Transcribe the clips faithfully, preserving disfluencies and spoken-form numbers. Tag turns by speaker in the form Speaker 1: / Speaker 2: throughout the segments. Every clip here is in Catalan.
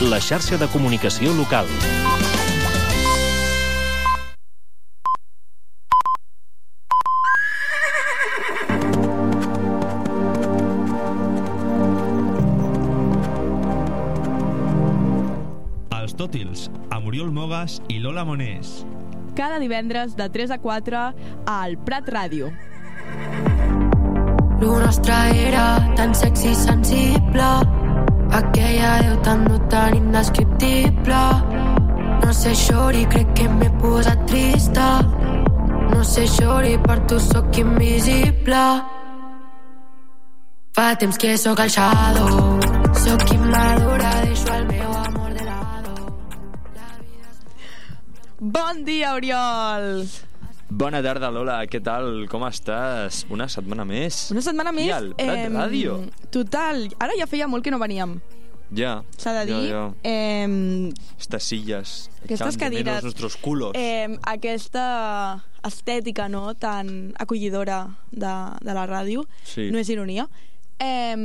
Speaker 1: la xarxa de comunicació local.
Speaker 2: Els Tòtils, amb Oriol Mogas i Lola Monés.
Speaker 3: Cada divendres de tres a quatre al Prat Ràdio.
Speaker 4: Lo nostre era tan sexy i sensible, aquella veu tan no tan indescriptible. No sé, xori, crec que m'he posat trista. No sé, xori, per tu sóc invisible. Fa temps que sóc el shadow, sóc immadura, deixo el meu amor de lado.
Speaker 3: Bon dia, Oriol!
Speaker 5: Bona tarda, Lola, què tal? Com estàs? Una setmana més.
Speaker 3: Una setmana més.
Speaker 5: I al Prat eh, Ràdio.
Speaker 3: Total, ara ja feia molt que no veníem.
Speaker 5: Ja.
Speaker 3: S'ha de dir.
Speaker 5: Ja, ja.
Speaker 3: Eh,
Speaker 5: Estas sillas.
Speaker 3: Aquestes cadires.
Speaker 5: Nuestros culos.
Speaker 3: Eh, aquesta estètica, no?, tan acollidora de, de la ràdio.
Speaker 5: Sí.
Speaker 3: No és ironia. Eh,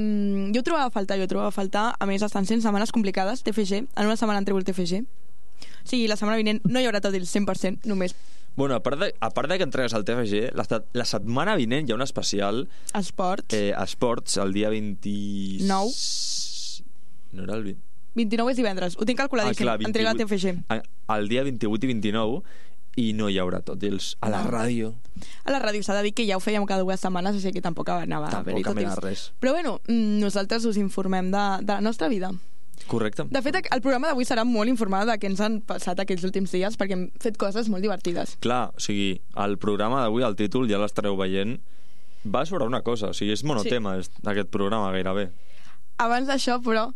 Speaker 3: jo ho trobava a faltar, jo ho trobava a faltar. A més, estan sent setmanes complicades, T F G. En una setmana han tregut T F G. O sigui, la setmana vinent no hi haurà tot el cent per cent, només.
Speaker 5: Bueno, a part de, a part de que entregues al T F G, la, la setmana vinent hi ha un especial...
Speaker 3: Esports.
Speaker 5: Eh, esports, el dia vint...
Speaker 3: nou.
Speaker 5: No era el vint...
Speaker 3: vint-i-nou és divendres, ho tinc calculadíssim.
Speaker 5: Ah, clar,
Speaker 3: entrega T F G.
Speaker 5: El dia vint-i-vuit i vint-i-nou, i no hi haurà tot els... A la
Speaker 3: no.
Speaker 5: ràdio.
Speaker 3: A la ràdio s'ha de dir que ja ho fèiem cada dues setmanes, així que tampoc anava a haver-hi tot
Speaker 5: Tampoc res.
Speaker 3: Però bueno, nosaltres us informem de, de la nostra vida.
Speaker 5: Correcte.
Speaker 3: De fet, el programa d'avui serà molt informat de què ens han passat aquests últims dies, perquè hem fet coses molt divertides.
Speaker 5: Clar, o sigui, el programa d'avui, el títol, ja l'estareu veient, va sobre una cosa, o sigui, és monotema, sí. Aquest programa gairebé.
Speaker 3: Abans d'això, però,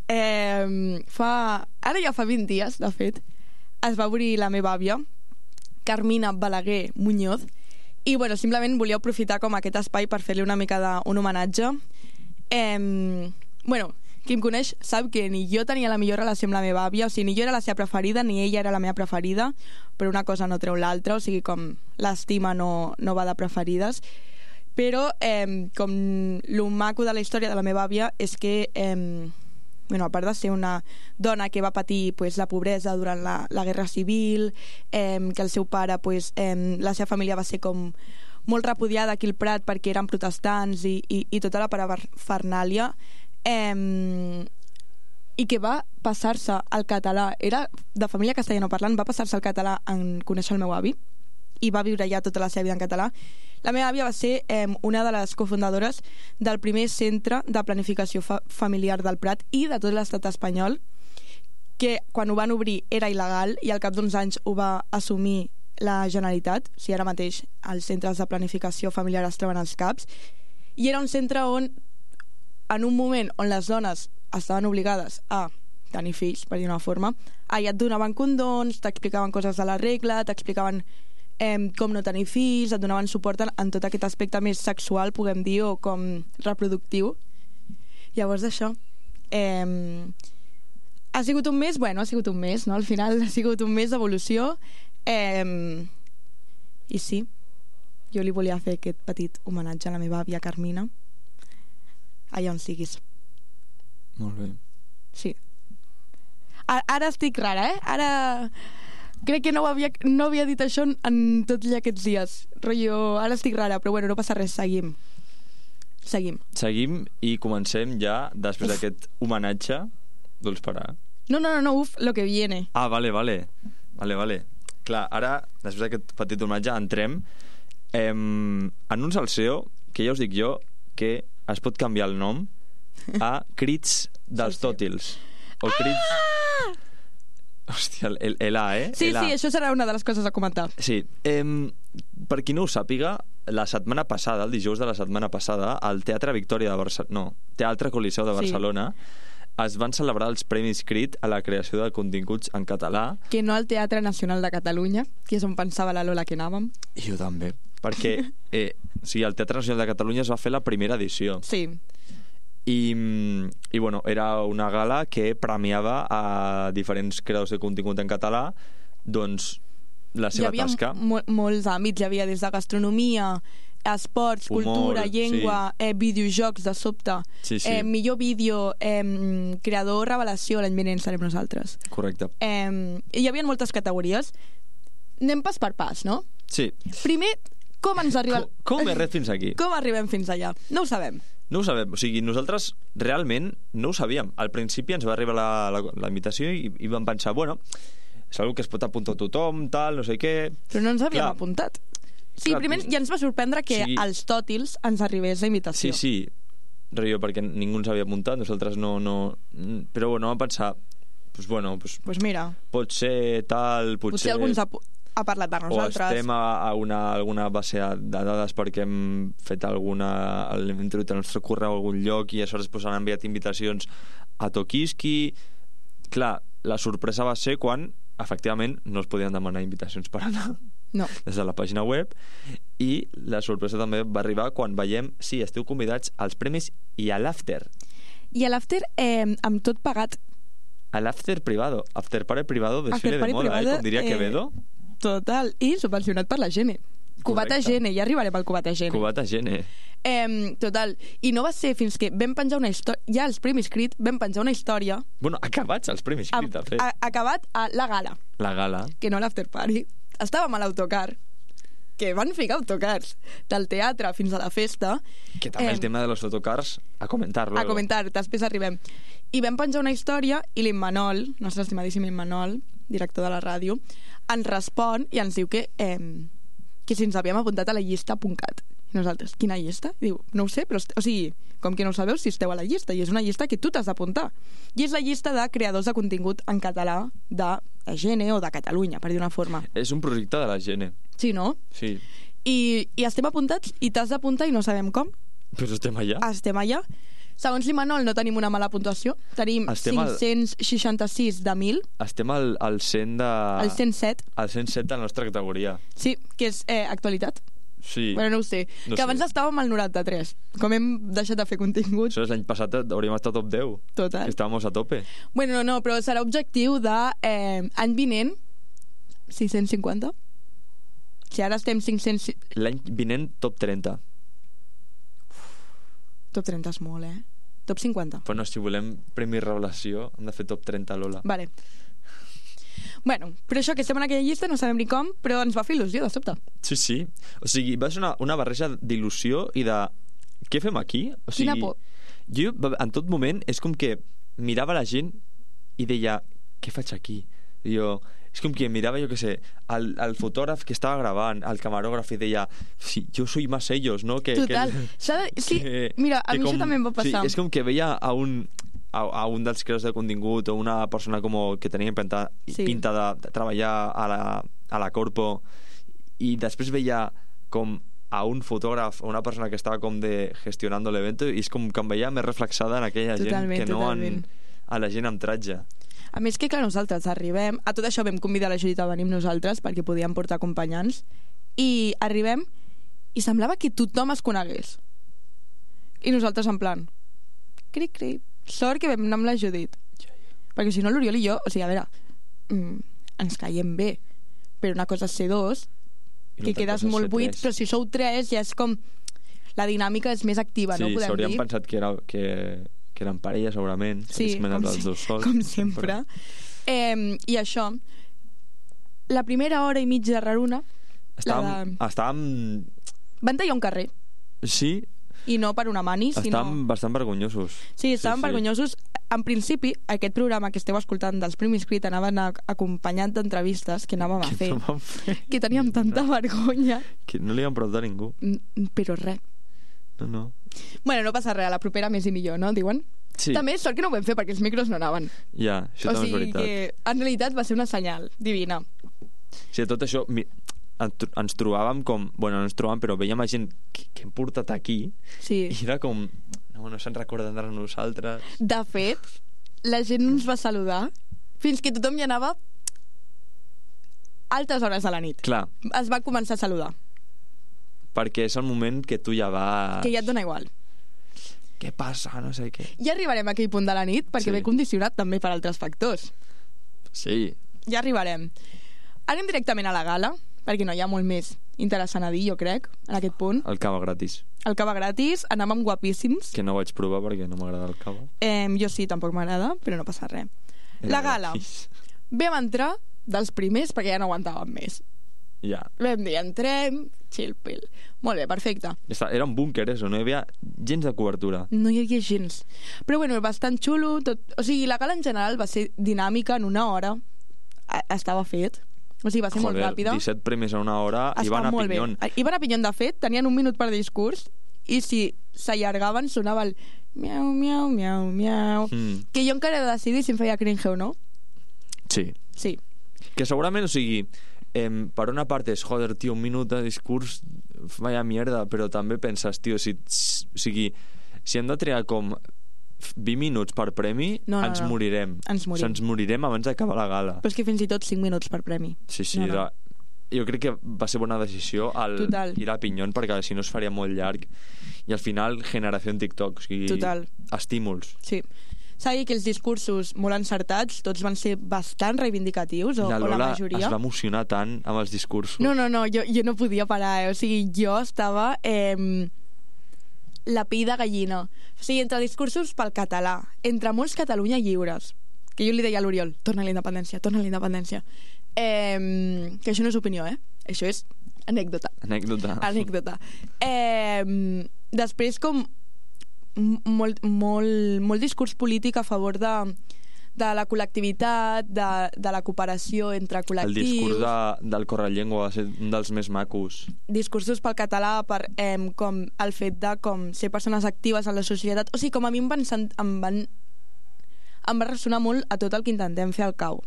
Speaker 3: eh, fa... ara ja fa vint dies, de fet, es va obrir la meva àvia, Carmina Balaguer Muñoz, i, bueno, simplement volia aprofitar com aquest espai per fer-li una mica d'un homenatge. Eh, bueno... Qui em coneix sap que ni jo tenia la millor relació amb la meva àvia, o sigui, ni jo era la seva preferida, ni ella era la meva preferida, però una cosa no treu l'altra, o sigui, com l'estima no, no va de preferides. Però, eh, com lo maco de la història de la meva àvia és que, eh, bueno, a part de ser una dona que va patir pues, la pobresa durant la, la Guerra Civil, eh, que el seu pare, pues, eh, la seva família va ser com molt repudiada aquí al Prat perquè eren protestants i, i, i tota la parafernàlia, Eh, i que va passar-se al català, era de família castellanoparlant, va passar-se al català en conèixer el meu avi i va viure ja tota la seva vida en català. La meva àvia va ser eh, una de les cofundadores del primer centre de planificació fa familiar del Prat i de tot l'estat espanyol, que quan ho van obrir era il·legal i al cap d'uns anys ho va assumir la Generalitat. O sigui, ara mateix els centres de planificació familiar es troben als CAPs, i era un centre on en un moment on les dones estaven obligades a tenir fills, per dir una forma, allà et donaven condons, t'explicaven coses de la regla, t'explicaven eh, com no tenir fills, et donaven suport en, en tot aquest aspecte més sexual, puguem dir, o com reproductiu. Llavors això eh, ha sigut un mes, bueno, ha sigut un mes, no? Al final ha sigut un mes d'evolució, eh, i sí, jo li volia fer aquest petit homenatge a la meva àvia Carmina, allà on siguis.
Speaker 5: Molt bé.
Speaker 3: Sí. Ara, ara estic rara, eh? Ara crec que no havia, no havia dit això en, en tots aquests dies. Rollo, ara estic rara, però bueno, no passa res, seguim. Seguim.
Speaker 5: Seguim i comencem ja, després d'aquest homenatge. Vols parar?
Speaker 3: No, no, no, no, uf, lo que viene.
Speaker 5: Ah, vale, vale. Vale, vale. Clar, ara, després d'aquest petit homenatge, entrem eh, en un salseo que ja us dic jo que es pot canviar el nom a Crits dels Tòtils. O Crits... Ah! Hòstia, el, el A, eh?
Speaker 3: Sí,
Speaker 5: el A.
Speaker 3: sí, això serà una de les coses a comentar.
Speaker 5: Sí. Eh, per qui no ho sàpiga, la setmana passada, el dijous de la setmana passada, al Teatre Victòria de Barcelona... No, Teatre Coliseu de Barcelona, sí, es van celebrar els Premis Crit a la creació de continguts en català. Que
Speaker 3: no al Teatre Nacional de Catalunya, que és on pensava la Lola que anàvem.
Speaker 5: I jo també. Perquè eh, o sigui, el Teatre Nacional de Catalunya es va fer la primera edició.
Speaker 3: Sí.
Speaker 5: I, i bueno, era una gala que premiava a diferents creadors de contingut en català, doncs la seva tasca.
Speaker 3: Hi havia mo molts àmbits, hi havia des de gastronomia, esports,
Speaker 5: Humor,
Speaker 3: cultura, llengua,
Speaker 5: sí.
Speaker 3: eh, videojocs de sobte,
Speaker 5: Sí, sí.
Speaker 3: Eh, millor vídeo, eh, creador revelació, l'any vinent serem nosaltres.
Speaker 5: Correcte.
Speaker 3: Eh, hi havia moltes categories. Anem pas per pas, no?
Speaker 5: Sí.
Speaker 3: Primer, com ens arriba...
Speaker 5: Com, com he ret fins aquí?
Speaker 3: Com arribem fins allà? No ho sabem.
Speaker 5: No ho sabem, o sigui, nosaltres realment no ho sabíem. Al principi ens va arribar la, la, la invitació i, i vam pensar, bueno, és una que es pot apuntar tothom, tal, no sé què...
Speaker 3: Però no ens havíem
Speaker 5: Clar.
Speaker 3: apuntat. Sí,
Speaker 5: Clar,
Speaker 3: primer ja ens va sorprendre que
Speaker 5: sí.
Speaker 3: als tòtils ens arribés la invitació.
Speaker 5: Sí, sí, rio, perquè ningú ens havia apuntat, nosaltres no... no... Però bueno, vam pensar, pues bueno, pues,
Speaker 3: pues mira,
Speaker 5: pot ser tal, potser...
Speaker 3: potser algú ens ha, ha parlat de
Speaker 5: o
Speaker 3: nosaltres.
Speaker 5: estem a, a una, alguna base de dades perquè hem fet alguna... hem introduït el nostre correu a algun lloc i aleshores pues, han enviat invitacions a Tokiski. Clar, la sorpresa va ser quan efectivament no es podien demanar invitacions per anar
Speaker 3: No.
Speaker 5: des de la pàgina web, i la sorpresa també va arribar quan veiem sí, esteu convidats als premis i a l'after.
Speaker 3: I a l'after, eh, amb tot pagat.
Speaker 5: A l'after privado, after party privado, desfile
Speaker 3: After party
Speaker 5: de moda,
Speaker 3: privado,
Speaker 5: eh? Com diria
Speaker 3: eh,
Speaker 5: Quevedo.
Speaker 3: Total. I subvencionat per la Gene. Cubata
Speaker 5: Correcte.
Speaker 3: Gene, ja arribarem al Cubata Gene.
Speaker 5: Cubata Gene.
Speaker 3: Eh, total. I no va ser fins que vam penjar una història... Ja als Premis Crit vam penjar una història...
Speaker 5: Bueno, acabats els premis
Speaker 3: a,
Speaker 5: Crit, de fet.
Speaker 3: a, acabat a la gala,
Speaker 5: La gala.
Speaker 3: que no l'after party. Estàvem a l'autocar, que van ficar autocars del teatre fins a la festa.
Speaker 5: Que també
Speaker 3: Eh,
Speaker 5: el tema de los autocars, a comentar luego.
Speaker 3: a comentar, després arribem. I vam penjar una història i l'Immanol, nostre estimadíssim Immanol, director de la ràdio, ens respon i ens diu que, eh, que si ens havíem apuntat a la llista .cat. I nosaltres, quina llista? I diu, no ho sé, però, o sigui, com que no ho sabeu si esteu a la llista, i és una llista que tu t'has d'apuntar. I és la llista de creadors de contingut en català de la Gene o de Catalunya, per dir una forma.
Speaker 5: És un projecte de la Gene.
Speaker 3: Sí, no?
Speaker 5: Sí.
Speaker 3: I, i estem apuntats i t'has d'apuntar i no sabem com.
Speaker 5: Però estem allà.
Speaker 3: Estem allà. Segons l'Imanol no tenim una mala puntuació. Tenim
Speaker 5: Estem al-
Speaker 3: cinc-cents seixanta-sis de mil,
Speaker 5: Estem al, al cent de...
Speaker 3: el cent set.
Speaker 5: Al cent set de la nostra categoria.
Speaker 3: Sí, que és eh, actualitat.
Speaker 5: Sí.
Speaker 3: Bueno, no ho sé.
Speaker 5: No
Speaker 3: que
Speaker 5: sé.
Speaker 3: abans estàvem al noranta-tres. Com hem deixat de fer contingut,
Speaker 5: Això és l'any passat, hauríem estat top deu.
Speaker 3: total.
Speaker 5: Estàvem a tope.
Speaker 3: Bueno, no, no, però serà objectiu de eh, any vinent sis-cents cinquanta. Si ara estem cinc-cents...
Speaker 5: L'any vinent, top trenta.
Speaker 3: Top trenta és molt, eh? Top cinquanta.
Speaker 5: Bueno, si volem Premi Revelació, hem de fer top trenta, Lola.
Speaker 3: Vale. Bueno, però això, que estem en aquella llista, no sabem ni com, però ens va fer il·lusió, de sobte.
Speaker 5: Sí, sí. O sigui, va ser una, una barreja d'il·lusió i de... Què fem aquí? O sigui,
Speaker 3: Quina por.
Speaker 5: Jo, en tot moment, és com que mirava la gent i deia, què faig aquí? I jo... És com que mirava, jo què sé, el, el fotògraf que estava gravant, el camarògraf, i deia, sí, jo soy más ellos, no? Que,
Speaker 3: Total.
Speaker 5: Que,
Speaker 3: S'ha de... Sí,
Speaker 5: que,
Speaker 3: mira, a
Speaker 5: que
Speaker 3: mi
Speaker 5: com,
Speaker 3: això també em va passar.
Speaker 5: Sí, és com que veia a un, a, a un dels creadors de contingut o una persona com que tenia pinta,
Speaker 3: Sí.
Speaker 5: pinta de, de treballar a la, a la corpo, i després veia com a un fotògraf o una persona que estava com de gestionando l'evento, i és com que em veia més reflexada en aquella
Speaker 3: Totalment,
Speaker 5: gent que no en,
Speaker 3: totalment.
Speaker 5: a la gent amb tratge.
Speaker 3: A més que, clar, nosaltres arribem... A tot això vam convidar la Judit a venir amb nosaltres perquè podíem portar acompanyants, i arribem i semblava que tothom es conegués. I nosaltres en plan... Cric, cric. Sort que vam anar amb la Judit. Perquè si no, l'Oriol i jo... O sigui, a veure... Mm, ens caiem bé. Però una cosa és ser dos,
Speaker 5: I
Speaker 3: que
Speaker 5: l'altra
Speaker 3: quedes
Speaker 5: cosa és
Speaker 3: molt
Speaker 5: ser
Speaker 3: buit,
Speaker 5: tres.
Speaker 3: però si sou tres ja és com... La dinàmica és més activa,
Speaker 5: Sí,
Speaker 3: no? Podem
Speaker 5: s'haurien
Speaker 3: dir.
Speaker 5: pensat que, era, que, que eren parella, segurament.
Speaker 3: Sí,
Speaker 5: s'haguessin anat
Speaker 3: com,
Speaker 5: els
Speaker 3: si,
Speaker 5: dos sols.
Speaker 3: com sempre. Eh, I això, la primera hora i mitja de Raruna,
Speaker 5: Estàvem...
Speaker 3: la de...
Speaker 5: estàvem...
Speaker 3: van tallar un carrer,
Speaker 5: Sí,
Speaker 3: i no per una mani, sinó...
Speaker 5: estàvem bastant vergonyosos.
Speaker 3: Sí, estàvem
Speaker 5: sí, sí.
Speaker 3: vergonyosos. En principi, aquest programa que esteu escoltant dels Premis Crit anaven a, acompanyat d'entrevistes que anàvem a
Speaker 5: Que
Speaker 3: fer,
Speaker 5: no vam fer.
Speaker 3: que teníem tanta vergonya,
Speaker 5: Que no li vam preguntar a ningú.
Speaker 3: mm, però res.
Speaker 5: No, no.
Speaker 3: Bueno, no passa res, a la propera més i millor, no? Diuen?
Speaker 5: Sí,
Speaker 3: També sort que no ho vam fer perquè els micros no anaven.
Speaker 5: ja, això
Speaker 3: O
Speaker 5: també és
Speaker 3: sigui
Speaker 5: veritat.
Speaker 3: que en realitat va ser una senyal divina.
Speaker 5: Sí, tot això... Mi... en- ens trobàvem com... Bueno, no ens trobàvem, però veiem a gent que, que hem portat aquí,
Speaker 3: Sí.
Speaker 5: i era com... No, no se'n recorden de nosaltres.
Speaker 3: De fet, la gent ens va saludar fins que tothom hi anava altes hores de la nit.
Speaker 5: Clar,
Speaker 3: Es va començar a saludar,
Speaker 5: perquè és el moment que tu ja vas...
Speaker 3: que ja et dona igual.
Speaker 5: Què passa? No sé què.
Speaker 3: Ja arribarem a aquell punt de la nit, perquè
Speaker 5: Sí.
Speaker 3: ve condicionat també per altres factors.
Speaker 5: Sí,
Speaker 3: Ja arribarem. Anem directament a la gala, perquè no hi ha molt més interessant a dir, jo crec, en aquest punt.
Speaker 5: El cava gratis.
Speaker 3: El cava gratis, anàvem guapíssims.
Speaker 5: Que no vaig provar perquè no m'agrada el cava.
Speaker 3: Eh, jo sí, tampoc m'agrada, però no passa res.
Speaker 5: Era
Speaker 3: La gala.
Speaker 5: gratis.
Speaker 3: Vam entrar dels primers perquè ja no aguantàvem més.
Speaker 5: Ja.
Speaker 3: Vam dir, entrem, chill pill. Molt bé, perfecte.
Speaker 5: Era un búnquer, eso, no hi havia gens de cobertura.
Speaker 3: No hi havia gens. Però bueno, bastant xulo. Tot... O sigui, la gala en general va ser dinàmica en una hora. A- estava fet. O sigui, va ser
Speaker 5: Joder,
Speaker 3: molt ràpida.
Speaker 5: disset premis en una hora i
Speaker 3: Està
Speaker 5: van a
Speaker 3: molt bé.
Speaker 5: pinyón.
Speaker 3: Iban a pinyón, de fet, tenien un minut per discurs i si s'allargaven sonava el miau, miau, miau, miau.
Speaker 5: Mm.
Speaker 3: Que jo encara he de decidir si em feia cringe o no.
Speaker 5: Sí.
Speaker 3: Sí.
Speaker 5: Que segurament, o sigui, eh, per una part és, joder, tio, un minut de discurs, vaya mierda, però també penses, tio, si, o sigui, si hem de triar com vint minuts per premi,
Speaker 3: No, no,
Speaker 5: ens
Speaker 3: no.
Speaker 5: morirem.
Speaker 3: Ens morim.
Speaker 5: O sigui, ens morirem abans d'acabar la gala.
Speaker 3: Però és que fins i tot cinc minuts per premi.
Speaker 5: Sí, sí,
Speaker 3: No, no.
Speaker 5: era... jo crec que va ser bona decisió al
Speaker 3: Total.
Speaker 5: ir a pinyón, perquè si no es faria molt llarg. I al final, generació en TikTok, o sigui,
Speaker 3: Total.
Speaker 5: estímuls.
Speaker 3: Sí. S'ha dit que els discursos molt encertats, tots van ser bastant reivindicatius, o
Speaker 5: La
Speaker 3: o la
Speaker 5: Lola
Speaker 3: majoria.
Speaker 5: es va emocionar tant amb els discursos.
Speaker 3: No, no, no, jo, jo no podia parar, eh? O sigui, jo estava... Eh, la pell de gallina. O sigui, entre discursos pel català, entre molts Catalunya lliures, que jo li deia a l'Oriol, torna a la independència, torna a la independència. Eh, que això no és opinió, eh? Això és anècdota.
Speaker 5: Anècdota.
Speaker 3: Anècdota. Eh, després, com m- molt, molt, molt discurs polític a favor de, de la col·lectivitat, de, de la cooperació entre
Speaker 5: El
Speaker 3: col·lectius.
Speaker 5: discurs de, del Correllengua va ser un dels més macos.
Speaker 3: Discursos pel català, per eh, com el fet de com ser persones actives en la societat. O sigui, com a mi em van, sent, em van em va ressonar molt a tot el que intentem fer al cau.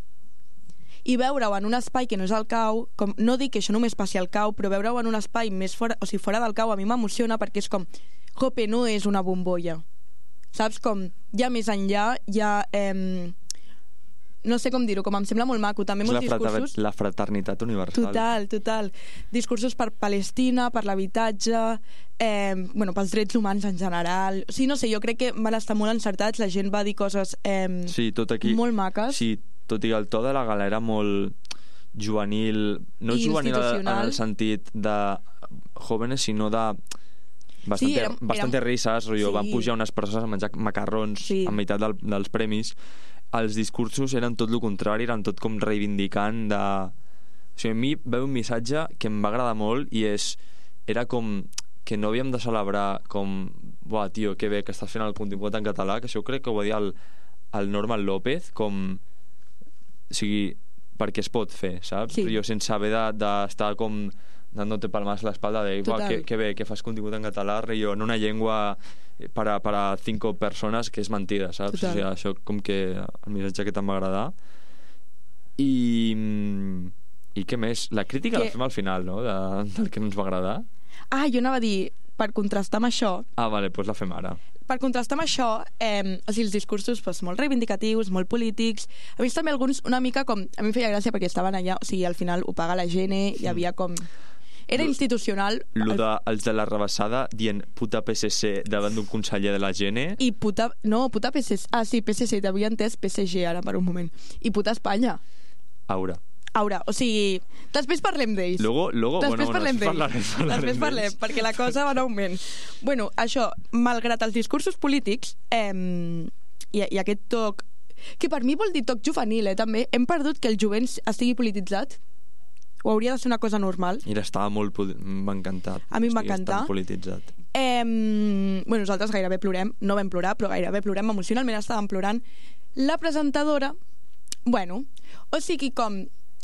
Speaker 3: I veure-ho en un espai que no és el cau, com, no dic que això només passi al cau, però veure-ho en un espai més fora, o sigui, fora del cau a mi m'emociona perquè és com, jope, no és una bombolla. Saps? Com, ja més enllà, ja... Eh, no sé com dir-ho, com em sembla molt maco. També
Speaker 5: És
Speaker 3: molts
Speaker 5: la, frater
Speaker 3: discursos...
Speaker 5: la fraternitat universal.
Speaker 3: Total, total. Discursos per Palestina, per l'habitatge, eh, bueno, pels drets humans en general. O sigui, no sé, jo crec que van estar molt encertats, la gent va dir coses eh,
Speaker 5: Sí, tot aquí...
Speaker 3: molt maques.
Speaker 5: Sí, tot i que el to de la gala era molt juvenil, no
Speaker 3: I
Speaker 5: juvenil en
Speaker 3: institucional.
Speaker 5: el sentit de jóvenes, sinó de bastante,
Speaker 3: Sí, era-
Speaker 5: bastante
Speaker 3: era-
Speaker 5: risas, rotllo,
Speaker 3: sí.
Speaker 5: van pujar unes persones a menjar macarrons
Speaker 3: Sí.
Speaker 5: a meitat del, dels premis. Els discursos eren tot el contrari, eren tot com reivindicant de... O sigui, a mi veu un missatge que em va agradar molt i és... Era com que no havíem de celebrar com... Buah, tio, que bé que estàs fent el contingut en català, que això crec que ho va dir el, el Norman López, com... O sigui, perquè es pot fer, saps?
Speaker 3: Sí.
Speaker 5: Jo sense haver d'estar de, com dándote palmas a l'espalda de buah, que, que bé, que fas contingut en català, jo, en una llengua para, para cinco persones, que és mentida, saps?
Speaker 3: Total.
Speaker 5: O sigui, això com que el missatge que te'n va agradar. I... I què més? La crítica
Speaker 3: Que-
Speaker 5: la fem al final, no? De, del que no ens va agradar.
Speaker 3: Ah, jo anava a dir, per contrastar amb això,
Speaker 5: Ah, vale, doncs la fem ara.
Speaker 3: per contrastar amb això, eh, o sigui, els discursos pues, molt reivindicatius, molt polítics, a mi també alguns una mica com... A mi em feia gràcia perquè estaven allà, o sigui, al final ho paga la gent, hi havia com... Era
Speaker 5: Lo-
Speaker 3: institucional.
Speaker 5: Lo
Speaker 3: el-
Speaker 5: de, els de la rebassada dient puta P S C davant d'un conseller de la Gene.
Speaker 3: I puta... No, puta P S C... Ah, sí, P S C, t'havia entès P S G ara per un moment. I puta Espanya.
Speaker 5: Aura.
Speaker 3: Aura, o sigui... Després parlem d'ells.
Speaker 5: Luego, luego
Speaker 3: Després
Speaker 5: bueno,
Speaker 3: parlem
Speaker 5: bueno,
Speaker 3: d'ells.
Speaker 5: parlarem, parlarem
Speaker 3: Després parlem,
Speaker 5: d'ells.
Speaker 3: perquè la cosa va en augment. Bueno, això, malgrat els discursos polítics eh, i, i aquest toc, que per mi vol dir toc juvenil, eh, també, hem perdut que el jovent estigui polititzat. O hauria de ser una cosa normal.
Speaker 5: Mira, estava molt... poli- M'ha encantat.
Speaker 3: A mi em va
Speaker 5: Estigués
Speaker 3: encantar.
Speaker 5: tan polititzat.
Speaker 3: Eh, bueno, nosaltres gairebé plorem, no vam plorar, però gairebé plorem, emocionalment estàvem plorant. La presentadora, bueno, o sigui com,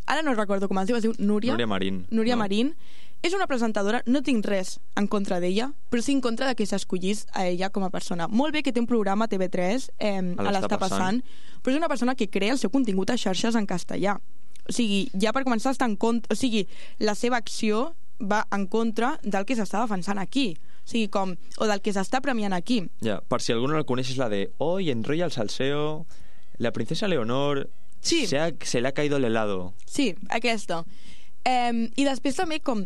Speaker 3: ara no recordo com es diu, es diu Núria.
Speaker 5: Núria Marín.
Speaker 3: Núria
Speaker 5: no?
Speaker 3: Marín. És una presentadora, no tinc res en contra d'ella, però sí en contra de que s'escollís a ella com a persona. Molt bé que té un programa a T V tres, eh, a l'Està passant, però és una persona que crea el seu contingut a xarxes en castellà. O sigui, ja per començar està en contra... O sigui, la seva acció va en contra del que s'està defensant aquí. O sigui, com... O del que s'està premiant aquí.
Speaker 5: Ja, per si algú no la coneix, és la de hoy enrolla el salseo, la princesa Leonor
Speaker 3: Sí.
Speaker 5: se, ha, se le ha caído el helado.
Speaker 3: Sí, aquesta. Eh, I després també com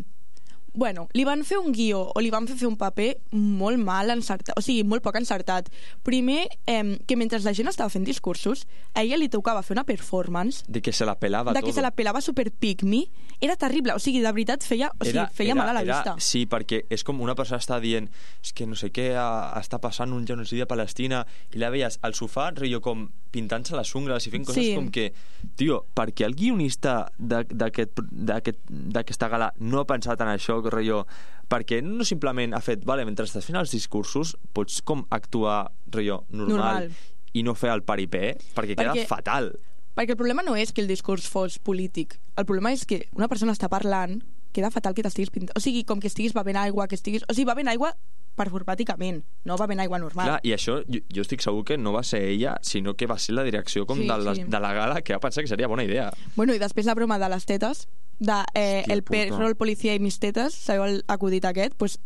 Speaker 3: bueno, li van fer un guió o li van fer fer un paper molt mal encertat, o sigui, molt poc encertat. Primer, eh, que mentre la gent estava fent discursos, a ella li tocava fer una performance
Speaker 5: De que se la pelava
Speaker 3: de
Speaker 5: todo.
Speaker 3: que se la pelava super pick me. Era terrible, o sigui, de veritat feia, o sigui, feia
Speaker 5: era,
Speaker 3: mal a la
Speaker 5: era,
Speaker 3: vista.
Speaker 5: Sí, perquè és com una persona està dient és que no sé què, a, està passant un genocidi a Palestina, i la veies al sofà, rotllo com pintant-se les ungles i fent coses
Speaker 3: Sí.
Speaker 5: com que, tio, perquè el guionista d'aquest- d'aquest- d'aquesta gala no ha pensat en això, que rotllo, perquè no simplement ha fet, vale, mentre estàs fent els discursos pots com actuar, rotllo, normal,
Speaker 3: Normal.
Speaker 5: i no fer el paripé, perquè queda
Speaker 3: Perquè-
Speaker 5: fatal.
Speaker 3: Perquè el problema no és que el discurs fos polític. El problema és que una persona està parlant, queda fatal que t'estiguis pintant. O sigui, com que estiguis bevent aigua, que estiguis... O sigui, bevent aigua performàticament, no bevent aigua normal.
Speaker 5: Clar, i això jo, jo estic segur que no va ser ella, sinó que va ser la direcció com
Speaker 3: Sí,
Speaker 5: de, la,
Speaker 3: sí.
Speaker 5: de la gala, que va pensar que seria bona idea.
Speaker 3: Bueno, i després la broma de les tetes, de eh,
Speaker 5: Hòstia
Speaker 3: el
Speaker 5: puta.
Speaker 3: perro, el policia i mis tetes, sabeu el acudit aquest? Pues,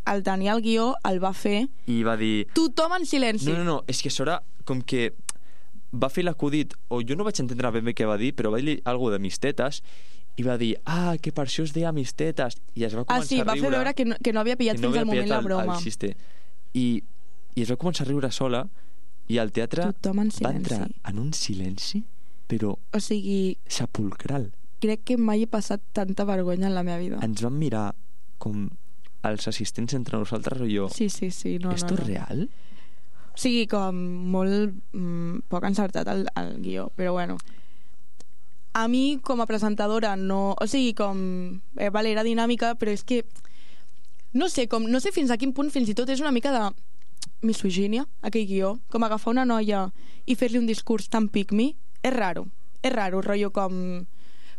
Speaker 3: el tenia el guió, el va fer
Speaker 5: I va dir...
Speaker 3: tothom en silenci.
Speaker 5: No, no, no, és que això era com que va fer l'acudit, o jo no vaig entendre ben bé què va dir, però va dir alguna de mis tetes, i va dir, ah, que per això es deia mis tetes, i es va
Speaker 3: Ah,
Speaker 5: començar
Speaker 3: sí,
Speaker 5: a
Speaker 3: va
Speaker 5: riure.
Speaker 3: fer veure que no, que no havia pillat
Speaker 5: que no
Speaker 3: fins
Speaker 5: havia
Speaker 3: al moment
Speaker 5: pillat
Speaker 3: la
Speaker 5: el-
Speaker 3: broma.
Speaker 5: el xiste. I, I es va començar a riure sola, i el teatre
Speaker 3: Tothom en
Speaker 5: va entrar
Speaker 3: silenci.
Speaker 5: en un silenci, però
Speaker 3: O sigui,
Speaker 5: sepulcral.
Speaker 3: crec que mai he passat tanta vergonya en la meva vida.
Speaker 5: Ens van mirar com els assistents entre nosaltres, o jo,
Speaker 3: Sí, sí, sí. No,
Speaker 5: ¿esto
Speaker 3: no, no.
Speaker 5: es real?
Speaker 3: O sigui, com molt mm, poc encertat el, el guió, però bueno. A mi, com a presentadora, no... O sigui, com... Eh, vale, era dinàmica, però és que... No sé, com, no sé fins a quin punt fins i tot és una mica de misogínia, aquell guió. Com agafar una noia i fer-li un discurs tan pick-me, és raro. És raro, rotllo com...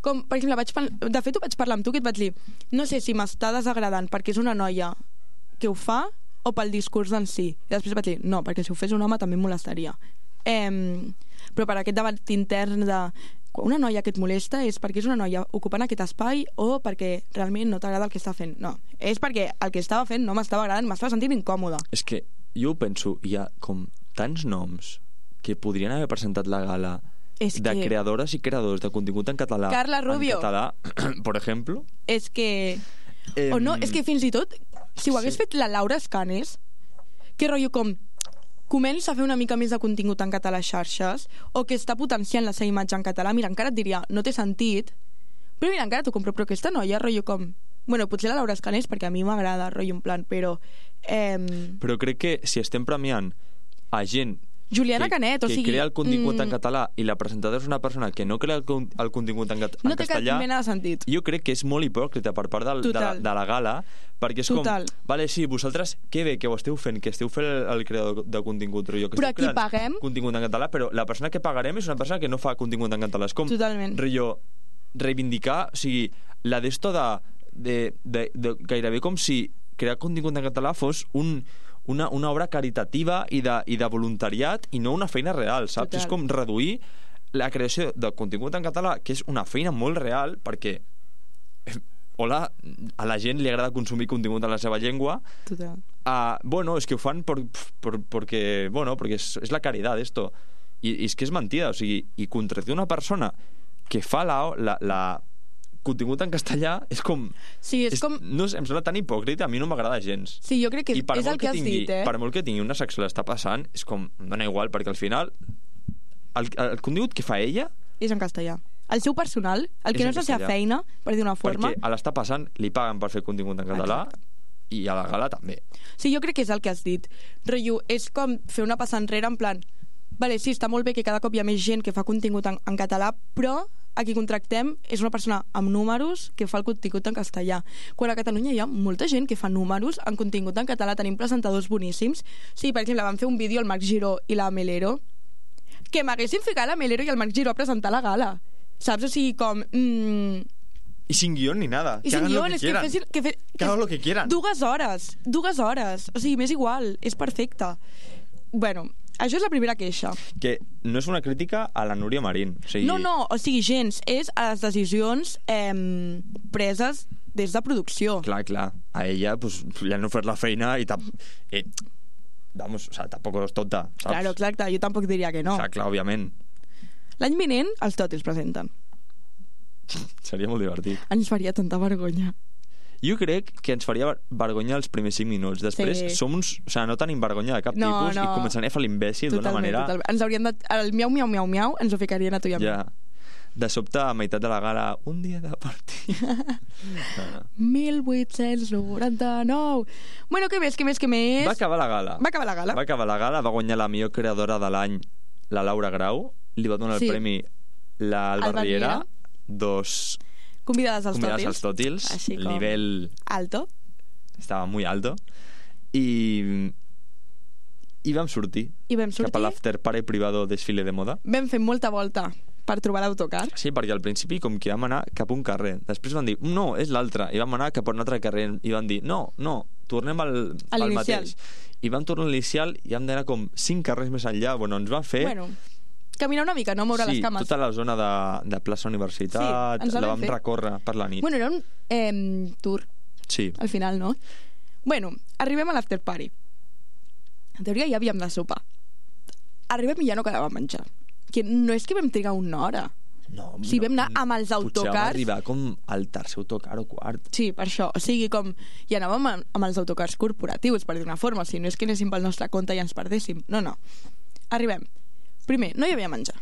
Speaker 3: Com, per exemple, vaig par... de fet ho vaig parlar amb tu, que et vaig dir no sé si m'està desagradant perquè és una noia que ho fa o pel discurs en si. I després vaig dir, no, perquè si ho fes un home també em molestaria. Eh, però per aquest debat intern de quan una noia que et molesta és perquè és una noia ocupant aquest espai o perquè realment no t'agrada el que està fent. No, és perquè el que estava fent no m'estava agradant, m'estava sentint incòmoda.
Speaker 5: És que jo ho penso, hi ha com tants noms que podrien haver presentat la gala
Speaker 3: És
Speaker 5: de
Speaker 3: que...
Speaker 5: creadores i creadors de contingut en català.
Speaker 3: Carla Rubio.
Speaker 5: En català, per exemple.
Speaker 3: És que...
Speaker 5: Eh,
Speaker 3: O no, és que fins i tot, si ho hagués
Speaker 5: sí.
Speaker 3: fet la Laura Escanes, que rotllo com comença a fer una mica més de contingut en català a xarxes, o que està potenciant la seva imatge en català, mira, encara et diria, no té sentit, però mira, encara t'ho compro, però aquesta noia, rotllo com... Bueno, potser la Laura Escanes, perquè a mi m'agrada, rotllo en plan, però... Eh,
Speaker 5: Però crec que si estem premiant a gent
Speaker 3: Juliana
Speaker 5: que,
Speaker 3: Canet, o
Speaker 5: que
Speaker 3: sigui...
Speaker 5: crea el contingut
Speaker 3: mm,
Speaker 5: en català i la presentadora és una persona que no crea el, con- el contingut en, cat- en
Speaker 3: no té cap
Speaker 5: castellà,
Speaker 3: mena de sentit.
Speaker 5: jo crec que és molt hipòcrita per part del, de, la,
Speaker 3: Total.
Speaker 5: de la gala, perquè és
Speaker 3: Total.
Speaker 5: com, vale, sí, vosaltres, que bé que ho esteu fent, que esteu fent el, el creador de contingut, però jo que
Speaker 3: Però
Speaker 5: esteu
Speaker 3: a qui
Speaker 5: creant
Speaker 3: paguem?
Speaker 5: contingut en català, però la persona que pagarem és una persona que no fa contingut en català. És com,
Speaker 3: Totalment.
Speaker 5: rotllo, reivindicar, o sigui, la d'esto de, de, de, de, gairebé com si crear contingut en català fos un una, una obra caritativa i de, i de voluntariat i no una feina real, saps?
Speaker 3: Total.
Speaker 5: És com reduir la creació de contingut en català, que és una feina molt real, perquè eh, hola, a la gent li agrada consumir contingut en la seva llengua.
Speaker 3: Total.
Speaker 5: Uh, bueno, és que ho fan por, por, porque, bueno, porque és, és la caritat, esto. I, i és que és mentida, o sigui, i contradir una persona que fa la, la, la contingut en castellà és com...
Speaker 3: Sí, és,
Speaker 5: és,
Speaker 3: com...
Speaker 5: no sé, em sembla tan hipòcrita, a mi no m'agrada gens.
Speaker 3: Sí, jo crec que
Speaker 5: I per
Speaker 3: és
Speaker 5: molt
Speaker 3: el que has
Speaker 5: tingui,
Speaker 3: dit, eh?
Speaker 5: per molt que tingui una secció l'està passant, és com, em dona igual, perquè al final el, el contingut que fa ella,
Speaker 3: És en castellà. El seu personal, el que
Speaker 5: És
Speaker 3: no
Speaker 5: en
Speaker 3: és la seva
Speaker 5: castellà.
Speaker 3: feina, per dir una forma...
Speaker 5: perquè a l'està passant li paguen per fer contingut en català, i a la gala també.
Speaker 3: Sí, jo crec que és el que has dit. Rotllo, és com fer una passa enrere en plan... Vale, sí, està molt bé que cada cop hi ha més gent que fa contingut en, en català, però a qui contractem és una persona amb números que fa el contingut en castellà. Quan a Catalunya hi ha molta gent que fa números en contingut en català, tenim presentadors boníssims. Sí, per exemple, van fer un vídeo el Marc Giró i la Melero, que m'haguessin ficat la Melero i el Marc Giró a presentar la gala. Saps? O sigui, com... Mm,
Speaker 5: Y sin guión ni nada.
Speaker 3: I
Speaker 5: que
Speaker 3: sin
Speaker 5: hagan
Speaker 3: guió,
Speaker 5: lo que
Speaker 3: és que,
Speaker 5: quieran.
Speaker 3: fessin, que, fe,
Speaker 5: Que hagan lo que quieran.
Speaker 3: Dues hores, dues hores. O sigui, m'és igual, és perfecte. Bueno, això és la primera queixa.
Speaker 5: Que no és una crítica a la Núria Marín. O sigui,
Speaker 3: No, no, o sigui, gens, és a les decisions eh, preses des de producció.
Speaker 5: Clar, clar. A ella pues, li han ofert la feina i... Tap... Eh, vamos, o sea, tampoc és tonta, saps?
Speaker 3: Claro, exacte, jo tampoc diria que no.
Speaker 5: O sea, clar, òbviament.
Speaker 3: L'any vinent, els tòtils presenten.
Speaker 5: Seria molt divertit.
Speaker 3: Ens faria tanta vergonya.
Speaker 5: Jo crec que ens faria vergonya els primers cinc minuts. Després
Speaker 3: Sí.
Speaker 5: som uns... O sigui, no tenim vergonya de cap
Speaker 3: No,
Speaker 5: tipus
Speaker 3: no.
Speaker 5: i començarem a fer l'imbècil d'una
Speaker 3: Totalment,
Speaker 5: manera...
Speaker 3: totalment. Ens haurien de... El miau, miau, miau, miau ens ho ficarien a tu i a mi.
Speaker 5: Ja. De sobte, a meitat de la gala, un dia de partit. no, no.
Speaker 3: mil vuit-cents noranta-nou. Bueno, què més, què més, què més?
Speaker 5: Va acabar la gala.
Speaker 3: Va acabar la gala.
Speaker 5: Va acabar la gala, va guanyar la millor creadora de l'any, la Laura Grau. Li va donar
Speaker 3: Sí.
Speaker 5: el premi la Alba
Speaker 3: Alba
Speaker 5: Riera.
Speaker 3: Riera.
Speaker 5: Dos
Speaker 3: Convidades als
Speaker 5: convidades
Speaker 3: tòtils.
Speaker 5: als tòtils.
Speaker 3: Així com-
Speaker 5: Nivell
Speaker 3: Alto.
Speaker 5: estava muy alto. I... I vam sortir.
Speaker 3: I vam
Speaker 5: Cap a
Speaker 3: sortir.
Speaker 5: l'after party privado desfile de moda.
Speaker 3: Vam fer molta volta per trobar l'autocar.
Speaker 5: Sí, perquè al principi com que vam anar cap a un carrer. Després van dir, no, és l'altre. I vam anar cap a un altre carrer. I van dir, no, no, tornem al,
Speaker 3: A
Speaker 5: al
Speaker 3: l'inicial.
Speaker 5: mateix. I vam tornar a l'inicial i vam d'anar com cinc carrers més enllà. Bueno, ens van fer...
Speaker 3: Bueno, caminar una mica, no moure
Speaker 5: sí,
Speaker 3: les cames.
Speaker 5: tota la zona de, de plaça Universitat,
Speaker 3: Sí, ens la
Speaker 5: la
Speaker 3: vam
Speaker 5: vam
Speaker 3: fer.
Speaker 5: recórrer per la nit.
Speaker 3: Bueno, era un eh, tour,
Speaker 5: Sí,
Speaker 3: al final, no? Bueno, arribem a l'after party. En teoria ja havíem de sopar. Arribem i ja no quedava menjar. Que no és que vam trigar una hora.
Speaker 5: no,
Speaker 3: O sigui, vam anar amb els
Speaker 5: Potser vam
Speaker 3: autocars.
Speaker 5: arribar com al tercer autocar o quart.
Speaker 3: Sí, per això. O sigui, com... I anàvem amb, amb els autocars corporatius, per dir una forma. O sigui, no és que anéssim pel nostre compte i ens perdéssim. No, no. Arribem. Primer, no hi havia menjar.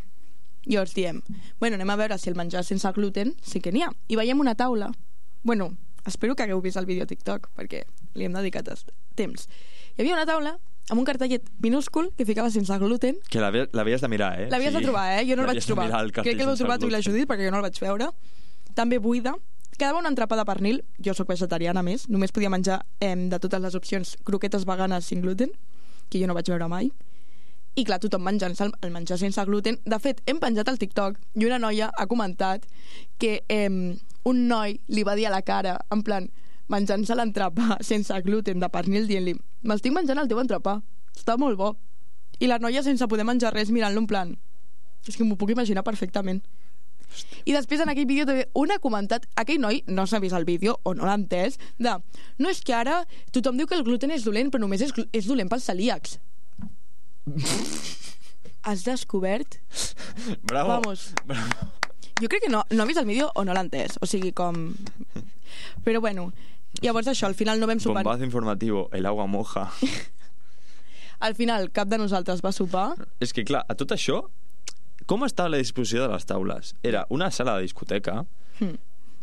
Speaker 3: Llavors diem, bueno, anem a veure si el menjar sense gluten sí que n'hi ha. I veiem una taula. Bueno, espero que hagueu vist el vídeo a TikTok, perquè li hem dedicat est- temps. Hi havia una taula amb un cartellet minúscul que ficava sense gluten.
Speaker 5: Que l'havi- l'havies de mirar, eh?
Speaker 3: L'havies de trobar, eh? Jo no el vaig
Speaker 5: l'havies de
Speaker 3: trobar.
Speaker 5: mirar, el cartell
Speaker 3: Crec que l'heu
Speaker 5: sense
Speaker 3: trobat tu i la
Speaker 5: gluten.
Speaker 3: Judit, perquè jo no el vaig veure. També buida. Quedava una entrapa de pernil. Jo sóc vegetariana, a més. Només podia menjar eh, de totes les opcions croquetes veganes sin gluten, que jo no vaig veure mai. I clar, tothom menjant-se el, el menjar sense gluten. De fet, hem penjat al TikTok i una noia ha comentat que eh, un noi li va dir a la cara, en plan, menjant-se l'entrepà sense gluten de pernil, dient-li, m'estic menjant el teu entrepà, està molt bo. I la noia sense poder menjar res mirant-lo en plan, és que m'ho puc imaginar perfectament. I després en aquell vídeo també un ha comentat, aquell noi no s'ha vist el vídeo o no l'ha entès, de, no és que ara tothom diu que el gluten és dolent però només és, glu- és dolent pels celíacs. Has descobert?
Speaker 5: Bravo.
Speaker 3: Vamos.
Speaker 5: Bravo.
Speaker 3: Jo crec que no, no ha vist el vídeo o no l'ha entès, o sigui com... Però bueno, llavors això, al final no vam sopar.
Speaker 5: Bombazo informativo, el agua moja.
Speaker 3: Al final cap de nosaltres va sopar.
Speaker 5: És que, clar, a tot això, com estava la disposició de les taules? Era una sala de discoteca
Speaker 3: Hmm.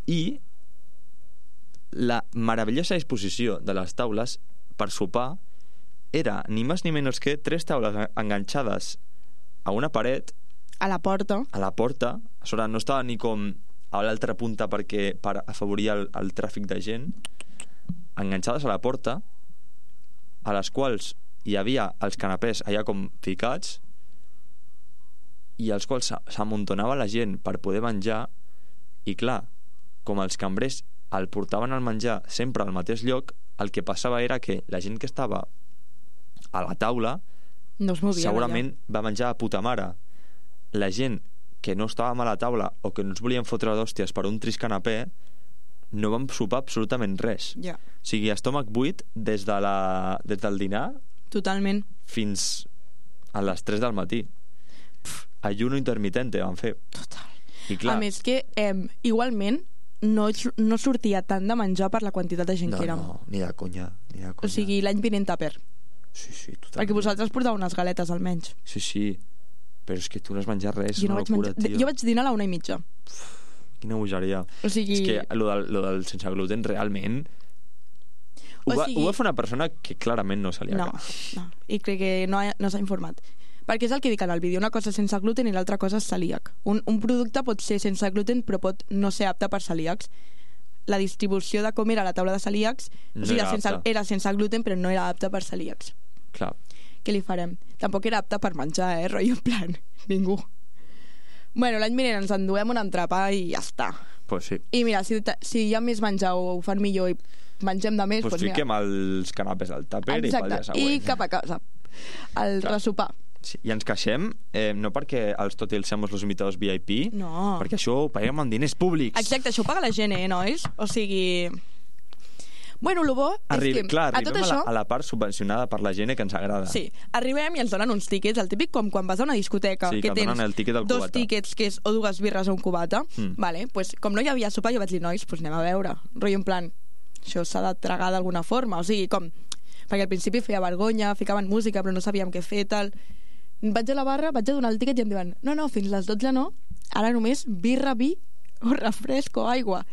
Speaker 5: i la meravellosa disposició de les taules per sopar era ni més ni menys que tres taules enganxades a una paret,
Speaker 3: A la porta.
Speaker 5: a la porta. A sobre no estava ni com a l'altra punta perquè per afavorir el, el tràfic de gent, enganxades a la porta, a les quals hi havia els canapès allà com ficats i als quals s'a- s'amuntonava la gent per poder menjar. I clar, com els cambrers el portaven al menjar sempre al mateix lloc, el que passava era que la gent que estava a la taula
Speaker 3: No es movien
Speaker 5: segurament va menjar a puta mare. La gent que no estàvem a la taula o que no ens volien fotre d'hòsties per un trist canapè no vam sopar absolutament res.
Speaker 3: allà. Ja,
Speaker 5: O sigui, estómac buit des, de la, des del dinar
Speaker 3: totalment.
Speaker 5: fins a les tres del matí. Ayuno intermitente van fer.
Speaker 3: Total.
Speaker 5: I clar,
Speaker 3: A més que, eh, igualment, no, no sortia tant de menjar per la quantitat de gent
Speaker 5: no,
Speaker 3: que érem.
Speaker 5: no, ni de conya, ni de conya.
Speaker 3: O sigui, l'any vinent tàper.
Speaker 5: sí, sí, totalment.
Speaker 3: Perquè vosaltres portàveu unes galetes, almenys.
Speaker 5: Sí, sí, però és que tu no has menjat res,
Speaker 3: Jo, no
Speaker 5: una
Speaker 3: vaig
Speaker 5: locura,
Speaker 3: menjar...
Speaker 5: tio.
Speaker 3: jo vaig dinar a la una i mitja.
Speaker 5: Quina bogeria.
Speaker 3: O sigui...
Speaker 5: És que lo del, lo del sense gluten realment ho,
Speaker 3: O
Speaker 5: va,
Speaker 3: sigui-
Speaker 5: ho va fer una persona que clarament no se li
Speaker 3: No,
Speaker 5: acaba.
Speaker 3: no. I crec que no, ha- no s'ha informat. Perquè és el que dic en el vídeo, una cosa és sense gluten i l'altra cosa és celíac. Un, un producte pot ser sense gluten però pot no ser apte per celíacs. La distribució de com era la taula de celíacs
Speaker 5: No
Speaker 3: o sigui,
Speaker 5: era
Speaker 3: sense,
Speaker 5: apta.
Speaker 3: era sense gluten però no era apte per celíacs.
Speaker 5: Clar.
Speaker 3: Què li farem? Tampoc era apte per menjar, eh? Rotllo en plan, ningú. Bueno, l'any vinent ens enduem un entrepà i ja està.
Speaker 5: Pues sí.
Speaker 3: I mira, si, ta- si hi ha més menjar o ho fan millor i mengem de més,
Speaker 5: Pues
Speaker 3: doncs
Speaker 5: fiquem
Speaker 3: mira.
Speaker 5: els canapés al tàper i pel dia
Speaker 3: Exacte,
Speaker 5: següent.
Speaker 3: i cap a casa. El
Speaker 5: Clar.
Speaker 3: resopar.
Speaker 5: Sí, i ens queixem, eh, no perquè els totils semos los invitados V I P,
Speaker 3: No.
Speaker 5: perquè això ho paguem amb diners públics.
Speaker 3: Exacte, això ho paga la gent, eh, nois? O sigui... Bueno, el bo
Speaker 5: Arri
Speaker 3: és que
Speaker 5: clar,
Speaker 3: a tot
Speaker 5: arribem a la,
Speaker 3: això...
Speaker 5: a la part subvencionada per la gent que ens agrada.
Speaker 3: Sí, arribem i ens donen uns tíquets, el típic com quan vas a una discoteca,
Speaker 5: Sí,
Speaker 3: que
Speaker 5: que et
Speaker 3: tens
Speaker 5: donen el tíquet del
Speaker 3: dos
Speaker 5: cubata.
Speaker 3: tíquets, que és o dues birres o un cubata.
Speaker 5: Mm.
Speaker 3: Vale, pues, com no hi havia sopar, jo vaig dir, nois, pues anem a veure. Rotllo en plan, això s'ha de tragar d'alguna forma, o sigui, com perquè al principi feia vergonya, ficaven música però no sabíem què fer, tal. Vaig a la barra, vaig a donar el tiquet i em diuen no, no, fins les dotze no, ara només birra, vi o refresc o aigua.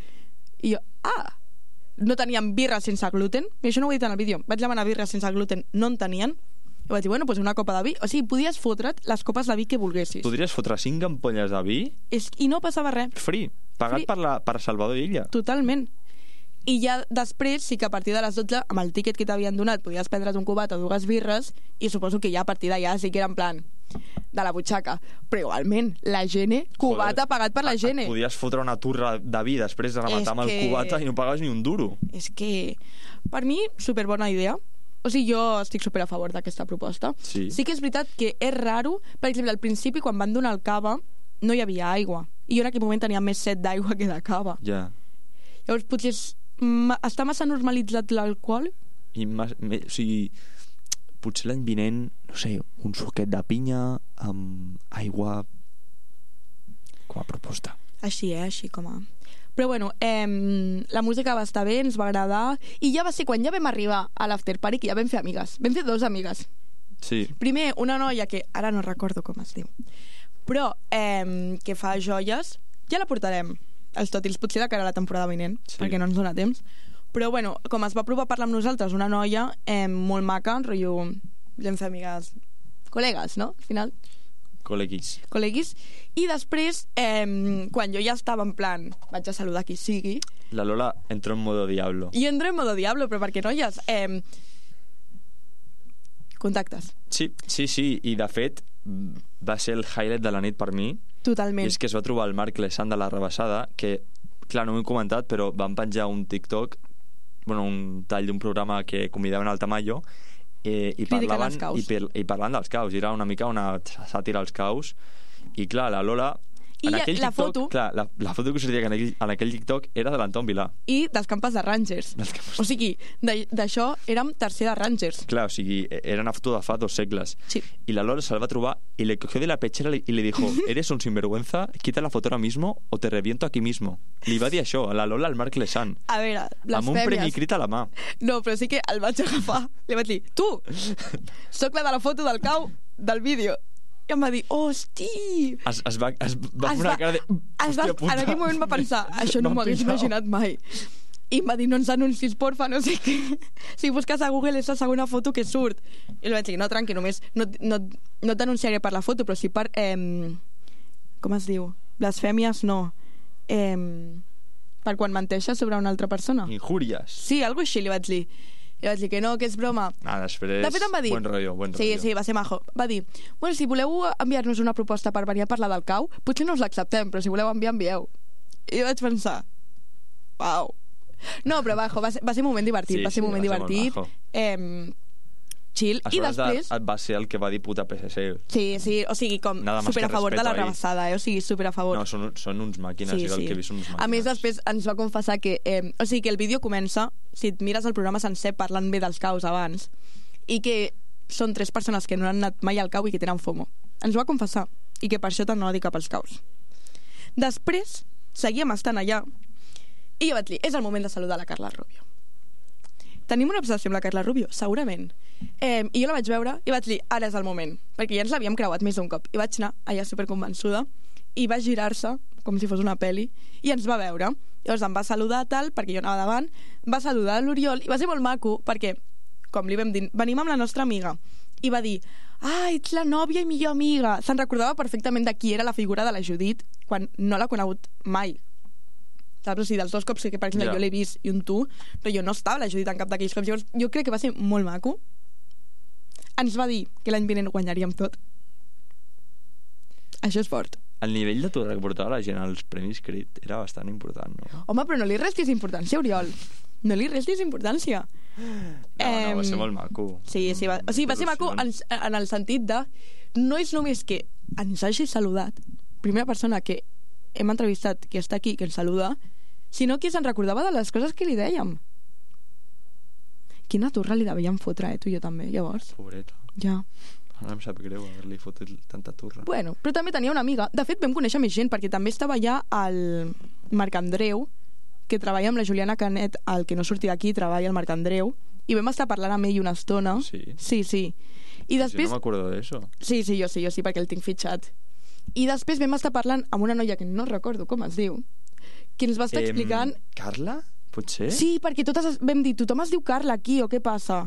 Speaker 3: I jo, ah, no tenien birra sense gluten, i això no ho he dit en el vídeo, vaig demanar birra sense gluten, no en tenien, i vaig dir, bueno, doncs una copa de vi, o sigui, podies fotre't les copes de vi que volguessis.
Speaker 5: Podries fotre cinc ampolles de vi?
Speaker 3: És, I no passava res.
Speaker 5: Free, pagat
Speaker 3: Free.
Speaker 5: per, la, per Salvador Illa.
Speaker 3: Totalment. I ja després sí que a partir de les dotze amb el tíquet que t'havien donat podies prendre's un cubat o dues birres i suposo que ja a partir d'allà sí que era en plan de la butxaca, però igualment la Gene, cubata
Speaker 5: Joder,
Speaker 3: pagat per la Gene.
Speaker 5: Podies fotre una turra de vi després de rematar amb el
Speaker 3: que...
Speaker 5: cubata i no pagaves ni un duro.
Speaker 3: És que per mi superbona idea, o sigui, jo estic super a favor d'aquesta proposta.
Speaker 5: Sí.
Speaker 3: Sí que és veritat que és raro, per exemple, al principi quan van donar el cava no hi havia aigua i jo en aquell moment tenia més set d'aigua que de cava.
Speaker 5: Ja.
Speaker 3: Llavors potser és Ma, està massa normalitzat l'alcohol?
Speaker 5: I mas, me, o sigui, potser l'any vinent, no sé, un suquet de pinya amb aigua com a proposta.
Speaker 3: Així, eh? Així com a... Però bueno, eh, la música va estar bé, ens va agradar, i ja va ser quan ja vam arribar a l'after party que ja vam fer amigues. Vam fer dos amigues.
Speaker 5: Sí.
Speaker 3: Primer, una noia que ara no recordo com es diu, però eh, que fa joies, ja la portarem els tòtils, potser de cara a la temporada vinent, sí. perquè no ens dona temps. Però bueno, com es va provar a parlar amb nosaltres, una noia eh, molt maca, rotllo, vam fer amigues, col·legues, no? Al final.
Speaker 5: Col·leguis.
Speaker 3: Col·leguis. I després, eh, quan jo ja estava en plan, vaig a saludar qui sigui...
Speaker 5: La Lola entró en modo diablo.
Speaker 3: I entro en modo diablo, però perquè, noies, eh, contactes.
Speaker 5: Sí, sí, sí, i de fet va ser el highlight de la nit per mi.
Speaker 3: Totalment.
Speaker 5: I és que es va trobar el Marc Lesan de la Rebassada, que, clar, no m'ho he comentat, però van penjar un TikTok, bueno, un tall d'un programa que convidaven al Tamayo, eh, i, parlaven, i, i parlaven dels caus. I era una mica una sàtira als caus. I, clar, la Lola...
Speaker 3: I
Speaker 5: en aquell
Speaker 3: la
Speaker 5: TikTok,
Speaker 3: foto...
Speaker 5: Clar, la, la foto que sortia en aquell, en aquell TikTok era de l'Anton Vilà.
Speaker 3: I dels campes de Rangers.
Speaker 5: Campes...
Speaker 3: O sigui, d'això érem tercer de Rangers.
Speaker 5: Clar, o sigui, era una foto de fa dos segles.
Speaker 3: Sí.
Speaker 5: Y la Lola se la va a trobar y le cogió de la pechera y le dijo, ¿eres un sinvergüenza? Quita la foto ahora mismo o te reviento aquí mismo. Li va dir això a la Lola al Marc Lesan.
Speaker 3: A veure, blasfèmies.
Speaker 5: Amb un premi crit a la mà.
Speaker 3: No, però sí que el vaig agafar. Li vaig dir, tu, soc la de la foto del cau del vídeo. I em va dir, hosti!
Speaker 5: Es, es va, es va
Speaker 3: es
Speaker 5: fer una cara de...
Speaker 3: Es va, en aquell moment va pensar, això no m'ho hagués imaginat mai. I em va dir, no ens anuncis, porfa, no sé què. Si busques a Google és la segona foto que surt. I li vaig dir, no, tranqui, només no, no, no t'anunciaré per la foto, però sí per... Eh, com es diu? Blasfèmies, no. Eh, per quan menteixes sobre una altra persona.
Speaker 5: Injúries.
Speaker 3: Sí, alguna així li vaig dir. I vaig dir que no, que és broma.
Speaker 5: Ah, després...
Speaker 3: De fet em va dir...
Speaker 5: Buen rollo, buen rollo.
Speaker 3: Sí, sí, va ser majo. Va dir, bueno, si voleu enviar-nos una proposta per venir a parlar del cau, potser no us l'acceptem, però si voleu enviar, envieu. I vaig pensar, uau. No, però bajo, va ser, va ser un moment divertit,
Speaker 5: sí,
Speaker 3: va ser
Speaker 5: sí,
Speaker 3: un moment
Speaker 5: va ser
Speaker 3: divertit. Eh, chill. I després...
Speaker 5: De, va ser el que va dir puta P S C.
Speaker 3: Sí, sí, o sigui, com
Speaker 5: Nada
Speaker 3: super a favor de la rebassada, eh? O sigui, super a favor.
Speaker 5: No, són, són uns màquines,
Speaker 3: sí,
Speaker 5: sí, el
Speaker 3: sí.
Speaker 5: que he vist són uns màquines.
Speaker 3: A més, després ens va confessar que... Eh, o sigui, que el vídeo comença, si et mires el programa sencer, parlant bé dels caus abans, i que són tres persones que no han anat mai al cau i que tenen FOMO. Ens ho va confessar, i que per això tant no va dir cap als caus. Després, seguíem estant allà, i jo vaig dir, és el moment de saludar la Carla Rubio. Tenim una obsessió amb la Carla Rubio? Segurament. Eh, I jo la vaig veure i vaig dir, ara és el moment, perquè ja ens l'havíem creuat més d'un cop. I vaig anar allà superconvençuda i va girar-se, com si fos una peli, i ens va veure. Llavors em va saludar tal, perquè jo anava davant, va saludar l'Oriol, i va ser molt maco, perquè, com li vam dir, venim amb la nostra amiga, i va dir, ah, ets la nòvia i millor amiga. Se'n recordava perfectament de qui era la figura de la Judit, quan no l'ha conegut mai. Saps? O sigui, dels dos cops que, per exemple, yeah. jo l'he vist i un tu, però jo no estava la Judit en cap d'aquells cops. Llavors, jo crec que va ser molt maco. Ens va dir que l'any vinent guanyaríem tot. Això és fort.
Speaker 5: El nivell de tot que portava la gent als Premis Crit era bastant important, no?
Speaker 3: Home, però no li restis importància, Oriol. No li restis importància.
Speaker 5: No, no, va ser molt maco.
Speaker 3: Sí, sí, va, o sigui, va ser maco en, en el sentit de... No és només que ens hagi saludat, primera persona que hem entrevistat que està aquí, que ens saluda, sinó que se'n recordava de les coses que li dèiem. Quina turra li devíem fotre, eh, tu i jo també, llavors.
Speaker 5: Pobreta.
Speaker 3: Ja.
Speaker 5: Ara em sap greu haver-li fotut tanta turra.
Speaker 3: Bueno, però també tenia una amiga. De fet, vam conèixer més gent, perquè també estava allà el Marc Andreu, que treballa amb la Juliana Canet, el que no surti d'aquí, treballa al Marc Andreu, i vam estar parlant amb ell una estona.
Speaker 5: Sí?
Speaker 3: Sí, sí. I després...
Speaker 5: Si no m'acordo d'això.
Speaker 3: Sí, sí, jo sí, jo sí, perquè el tinc fitxat. I després vam estar parlant amb una noia que no recordo com es diu, que ens va estar
Speaker 5: Em,
Speaker 3: explicant...
Speaker 5: Carla? Potser?
Speaker 3: Sí, perquè totes es- vam dir, tothom es diu Carla aquí, o què passa?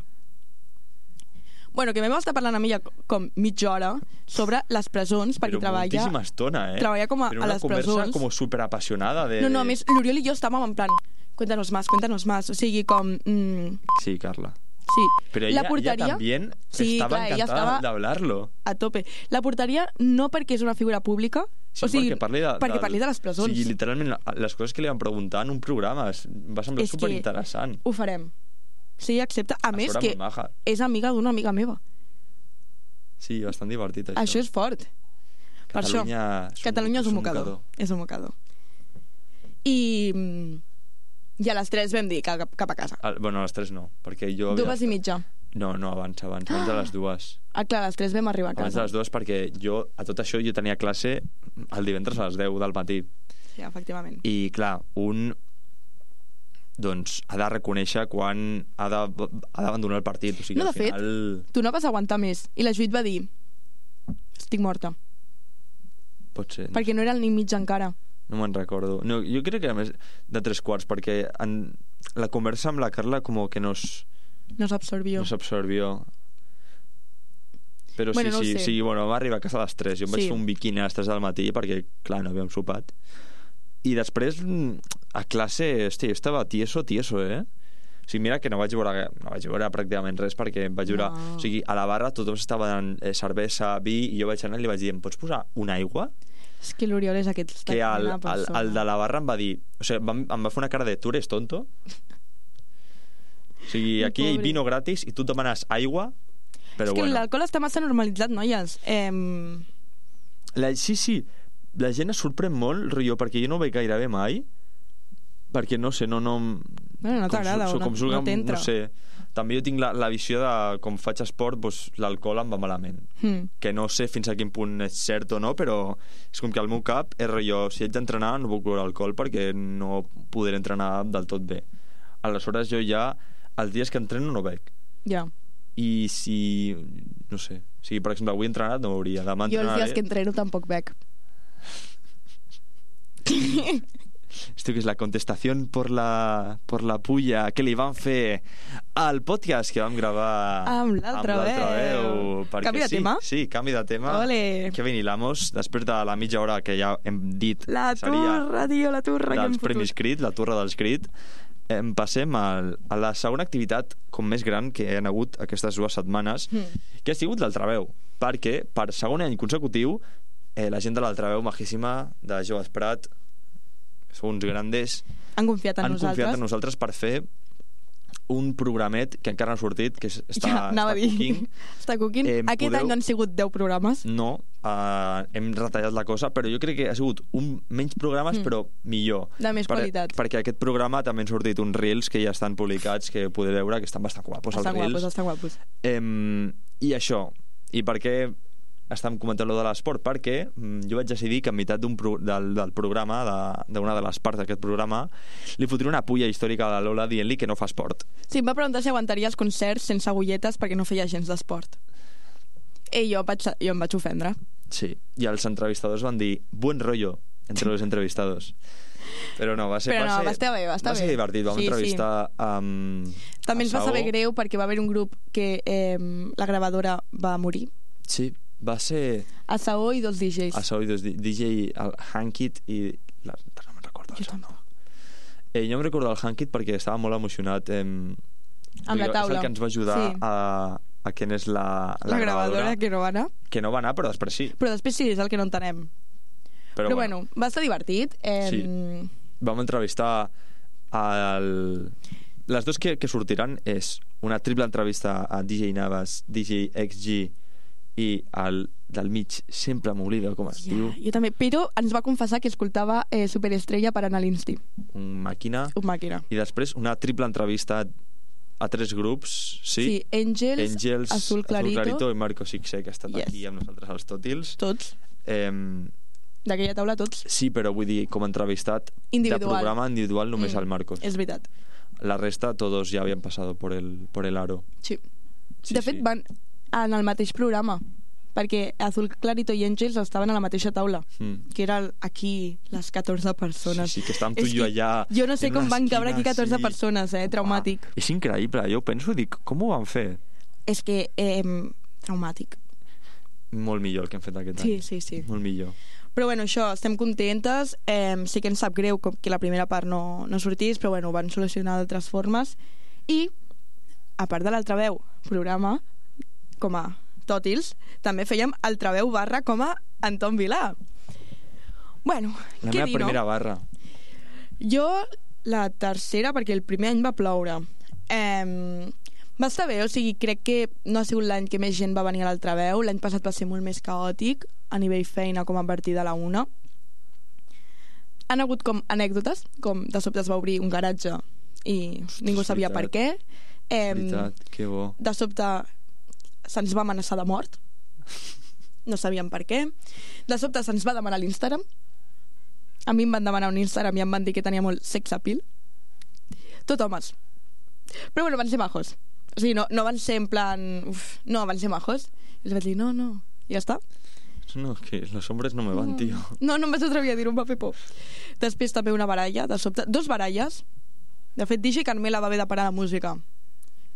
Speaker 3: Bueno, que vam estar parlant amb ella com mitja hora sobre les presons, perquè
Speaker 5: Però
Speaker 3: treballa...
Speaker 5: moltíssima estona, eh?
Speaker 3: treballa com a-
Speaker 5: Però
Speaker 3: a
Speaker 5: una
Speaker 3: les
Speaker 5: conversa
Speaker 3: presons.
Speaker 5: com superapasionada de...
Speaker 3: No, no, a més, l'Oriol i jo estàvem en plan, cuéntanos más, cuéntanos más, o sigui, com... Mm,
Speaker 5: Sí, Carla.
Speaker 3: sí.
Speaker 5: Pero
Speaker 3: la
Speaker 5: ella,
Speaker 3: porteria,
Speaker 5: ella también
Speaker 3: Sí,
Speaker 5: estaba
Speaker 3: clar, ella
Speaker 5: encantada
Speaker 3: estava-
Speaker 5: de hablarlo.
Speaker 3: a tope. La portaria no perquè és una figura pública,
Speaker 5: Sí,
Speaker 3: o sigui,
Speaker 5: perquè parli de,
Speaker 3: perquè
Speaker 5: del-
Speaker 3: parli de les presons.
Speaker 5: O sigui, literalment, les coses que li van preguntar en un programa es- va semblar
Speaker 3: És que
Speaker 5: superinteressant.
Speaker 3: Ho farem. Sí, accepta. A,
Speaker 5: A
Speaker 3: més,
Speaker 5: sobre
Speaker 3: que
Speaker 5: molt maja.
Speaker 3: és amiga d'una amiga meva.
Speaker 5: Sí, bastant divertit, això.
Speaker 3: Això és fort. Per això,
Speaker 5: Catalunya és un-
Speaker 3: Catalunya és un
Speaker 5: és un
Speaker 3: mocador.
Speaker 5: mocador.
Speaker 3: És un mocador. I, mm, i a les tres vam dir que cap, cap a casa.
Speaker 5: Ah, bueno, a les tres no, perquè jo...
Speaker 3: Dues
Speaker 5: havia-
Speaker 3: i mitja.
Speaker 5: No, no, abans, abans, abans de les dues.
Speaker 3: Ah, clar, a les tres vam arribar a
Speaker 5: Abans de
Speaker 3: casa.
Speaker 5: les dues perquè jo, a tot això, jo tenia classe el divendres a les deu del matí.
Speaker 3: Sí, efectivament.
Speaker 5: I, clar, un doncs ha de reconèixer quan ha de- ha d'abandonar el partit. O sigui,
Speaker 3: No,
Speaker 5: al
Speaker 3: de fet,
Speaker 5: final...
Speaker 3: tu no vas aguantar més. I la Judit va dir, estic morta.
Speaker 5: Pot ser.
Speaker 3: Perquè no era el ni mig encara.
Speaker 5: No me'n recordo. No, jo crec que era més de tres quarts, perquè en la conversa amb la Carla com que nos,
Speaker 3: No s'absorbió.
Speaker 5: nos absorbió. Però
Speaker 3: Bueno,
Speaker 5: sí,
Speaker 3: no ho
Speaker 5: sí,
Speaker 3: sé.
Speaker 5: sí, bueno, va arribar a casa a les tres. Jo em vaig
Speaker 3: Sí.
Speaker 5: fer un biquini a les tres del matí perquè, clar, no havíem sopat. I després, mm, a classe, hosti, jo estava tieso, tieso, eh? O sigui, mira que no vaig veure, no vaig veure pràcticament res perquè em vaig veure...
Speaker 3: No.
Speaker 5: O sigui, a la barra tothom estava donant eh, cervesa, vi, i jo vaig anar i li vaig dir, em pots posar una aigua?
Speaker 3: És que l'Oriol és aquesta
Speaker 5: Que el,
Speaker 3: mena de
Speaker 5: el,
Speaker 3: persona.
Speaker 5: el de la barra em va dir... O sigui, em, em va fer una cara de tu eres tonto? O sigui, aquí hi ha
Speaker 3: Pobre.
Speaker 5: vino gratis i tu et demanes aigua, però
Speaker 3: és que
Speaker 5: bueno.
Speaker 3: l'alcohol està massa normalitzat, noies. Eh,
Speaker 5: La, sí, sí, la gent es sorprèn molt, rotllo, perquè jo no ho veig gairebé mai, perquè no sé, no... no
Speaker 3: Bueno, no
Speaker 5: com
Speaker 3: t'agrada
Speaker 5: su-
Speaker 3: o no-
Speaker 5: com surga,
Speaker 3: no t'entra.
Speaker 5: No sé, també jo tinc la, la visió de com faig esport, doncs, l'alcohol em va malament.
Speaker 3: hmm.
Speaker 5: Que no sé fins a quin punt és cert o no, però és com que al meu cap és rotllo, si haig d'entrenar no puc beure alcohol perquè no podré entrenar del tot bé. Aleshores jo ja, els dies que entreno no bec.
Speaker 3: Ja.
Speaker 5: I si, no sé, si per exemple avui he entrenat no hauria, demà
Speaker 3: Jo els
Speaker 5: entrenaré.
Speaker 3: dies que entreno tampoc bec.
Speaker 5: Esto que es la contestación por la, por la puya que li van fer al podcast que vam gravar
Speaker 3: Amb l'altra veu.
Speaker 5: perquè
Speaker 3: Canvi de
Speaker 5: sí,
Speaker 3: tema?
Speaker 5: Sí, canvi de tema.
Speaker 3: Ole.
Speaker 5: Kevin Hilamos, després de la mitja hora que ja hem dit
Speaker 3: La
Speaker 5: seria
Speaker 3: turra, tio, la turra que hem
Speaker 5: dels Premis
Speaker 3: fotut.
Speaker 5: Crit, la torre dels Crit, em passem al, a la segona activitat com més gran que hi ha hagut aquestes dues setmanes,
Speaker 3: Mm.
Speaker 5: que ha sigut l'Altraveu, perquè per segon any consecutiu eh, la gent de l'Altraveu majíssima de Joves Prat, que són uns grandes,
Speaker 3: Han confiat en
Speaker 5: han
Speaker 3: nosaltres.
Speaker 5: confiat en nosaltres per fer un programet que encara no ha sortit, que és- està,
Speaker 3: ja, anava
Speaker 5: està
Speaker 3: a dir.
Speaker 5: cooking.
Speaker 3: Està cooking.
Speaker 5: Eh,
Speaker 3: Aquest
Speaker 5: podeu-
Speaker 3: any no han sigut deu programes.
Speaker 5: No, uh, hem retallat la cosa, però jo crec que ha sigut un menys programes,
Speaker 3: Mm.
Speaker 5: però millor.
Speaker 3: De més qualitat.
Speaker 5: Perquè aquest programa també han sortit uns reels que ja estan publicats, que podeu veure que estan bastant guapos,
Speaker 3: Estan
Speaker 5: els reels.
Speaker 3: guapos, estan guapos.
Speaker 5: Em, I això, i per què estàvem comentant lo de l'esport? Perquè mm, jo vaig decidir que en meitat d'un pro, del, del programa, de- d'una de, de les parts d'aquest programa, li fotré una pulla històrica a la Lola dient-li que no fa esport.
Speaker 3: Sí, em va preguntar si aguantaria els concerts sense agulletes perquè no feia gens d'esport. I jo, vaig, jo em vaig ofendre.
Speaker 5: Sí, i els entrevistadors van dir buen rollo entre los entrevistados. Però no, va ser...
Speaker 3: Però no,
Speaker 5: ser,
Speaker 3: va estar bé, va estar
Speaker 5: ser
Speaker 3: bé.
Speaker 5: divertit, vam
Speaker 3: Sí,
Speaker 5: entrevistar amb...
Speaker 3: També ens va
Speaker 5: a
Speaker 3: saber
Speaker 5: Saó.
Speaker 3: greu perquè va haver un grup que eh, la gravadora va morir.
Speaker 5: Sí, va ser
Speaker 3: A Saó i dos D Js.
Speaker 5: a Saó i dos D J, el Hankit i... La, no me'n recordo el
Speaker 3: Jo
Speaker 5: seu nom.
Speaker 3: tampoc.
Speaker 5: Eh, jo em recordo el Hankit perquè estava molt emocionat eh,
Speaker 3: Amb la taula.
Speaker 5: és el que ens va ajudar
Speaker 3: Sí.
Speaker 5: a, a quin és la,
Speaker 3: La, gravadora que no va anar.
Speaker 5: que no va anar, però després sí.
Speaker 3: Però després sí, és el que no entenem.
Speaker 5: Però,
Speaker 3: Però, bueno, va estar divertit. Eh,
Speaker 5: Sí. Vam entrevistar el... les dues que, que sortiran és una triple entrevista a D J Navas, D J X G i el del mig sempre m'oblida com es
Speaker 3: Ja,
Speaker 5: diu,
Speaker 3: jo també. Però ens va confessar que escoltava eh, Superestrella per anar a l'Insti.
Speaker 5: un màquina,
Speaker 3: Un màquina.
Speaker 5: i després una triple entrevista a tres grups, sí?
Speaker 3: Sí, Angels,
Speaker 5: Angels,
Speaker 3: Azul Clarito,
Speaker 5: Azul Clarito i Marco Sixé, que ha estat
Speaker 3: Yes.
Speaker 5: aquí amb nosaltres als Tòtils.
Speaker 3: tots.
Speaker 5: Eh,
Speaker 3: d'aquella taula tots.
Speaker 5: Sí, però vull dir, com a entrevistat
Speaker 3: Individual.
Speaker 5: de programa individual només
Speaker 3: Mm,
Speaker 5: al Marcos.
Speaker 3: És veritat.
Speaker 5: La resta, todos ya habían pasado por el, por el aro.
Speaker 3: Sí.
Speaker 5: Sí,
Speaker 3: De fet,
Speaker 5: sí.
Speaker 3: van en el mateix programa, perquè Azul Clarito i Àngels estaven a la mateixa taula,
Speaker 5: Mm.
Speaker 3: que era aquí les catorze persones.
Speaker 5: Sí, sí, que estàvem tu
Speaker 3: És
Speaker 5: i jo
Speaker 3: que
Speaker 5: allà
Speaker 3: Jo no sé
Speaker 5: en
Speaker 3: com
Speaker 5: una
Speaker 3: van cabre aquí
Speaker 5: esquina,
Speaker 3: catorze
Speaker 5: sí.
Speaker 3: persones, eh? Traumàtic.
Speaker 5: Ah, és increïble, jo penso, dic, com ho van fer?
Speaker 3: És que, eh, traumàtic.
Speaker 5: Molt millor el que hem fet aquest
Speaker 3: Sí,
Speaker 5: any.
Speaker 3: sí, sí.
Speaker 5: Molt millor.
Speaker 3: Però bueno, això, estem contentes. Eh, sí que ens sap greu com que la primera part no, no sortís, però bueno, ho van solucionar d'altres formes. I, a part de l'Altraveu programa, com a tòtils, també fèiem Altraveu barra com a Anton Vilà. Bueno,
Speaker 5: La
Speaker 3: què
Speaker 5: meva
Speaker 3: dir,
Speaker 5: primera
Speaker 3: no?
Speaker 5: barra.
Speaker 3: Jo, la tercera, perquè el primer any va ploure. Eh, va estar bé, o sigui, crec que no ha sigut l'any que més gent va venir a l'Altraveu. L'any passat va ser molt més caòtic a nivell feina com a partir de la una. Han hagut com anècdotes, com de sobte es va obrir un garatge i ningú
Speaker 5: és
Speaker 3: sabia per què.
Speaker 5: És
Speaker 3: Eh,
Speaker 5: veritat, que bo.
Speaker 3: de sobte se'ns va amenaçar de mort, no sabíem per què. De sobte se'ns va demanar l'Instagram. A mi em van demanar un Instagram i em van dir que tenia molt sex appeal. Tot homes. Però bueno, van ser majos. O sigui, no, no van ser en plan... Uf, no, van ser majos. I els vaig dir, no, no, i ja està.
Speaker 5: No, que los hombres no me van, tio.
Speaker 3: No, no em vaig atrevir a dir-ho, em va fer por. Després també una baralla, de sobte. Dos baralles. De fet, Digi Carmela va haver de parar la música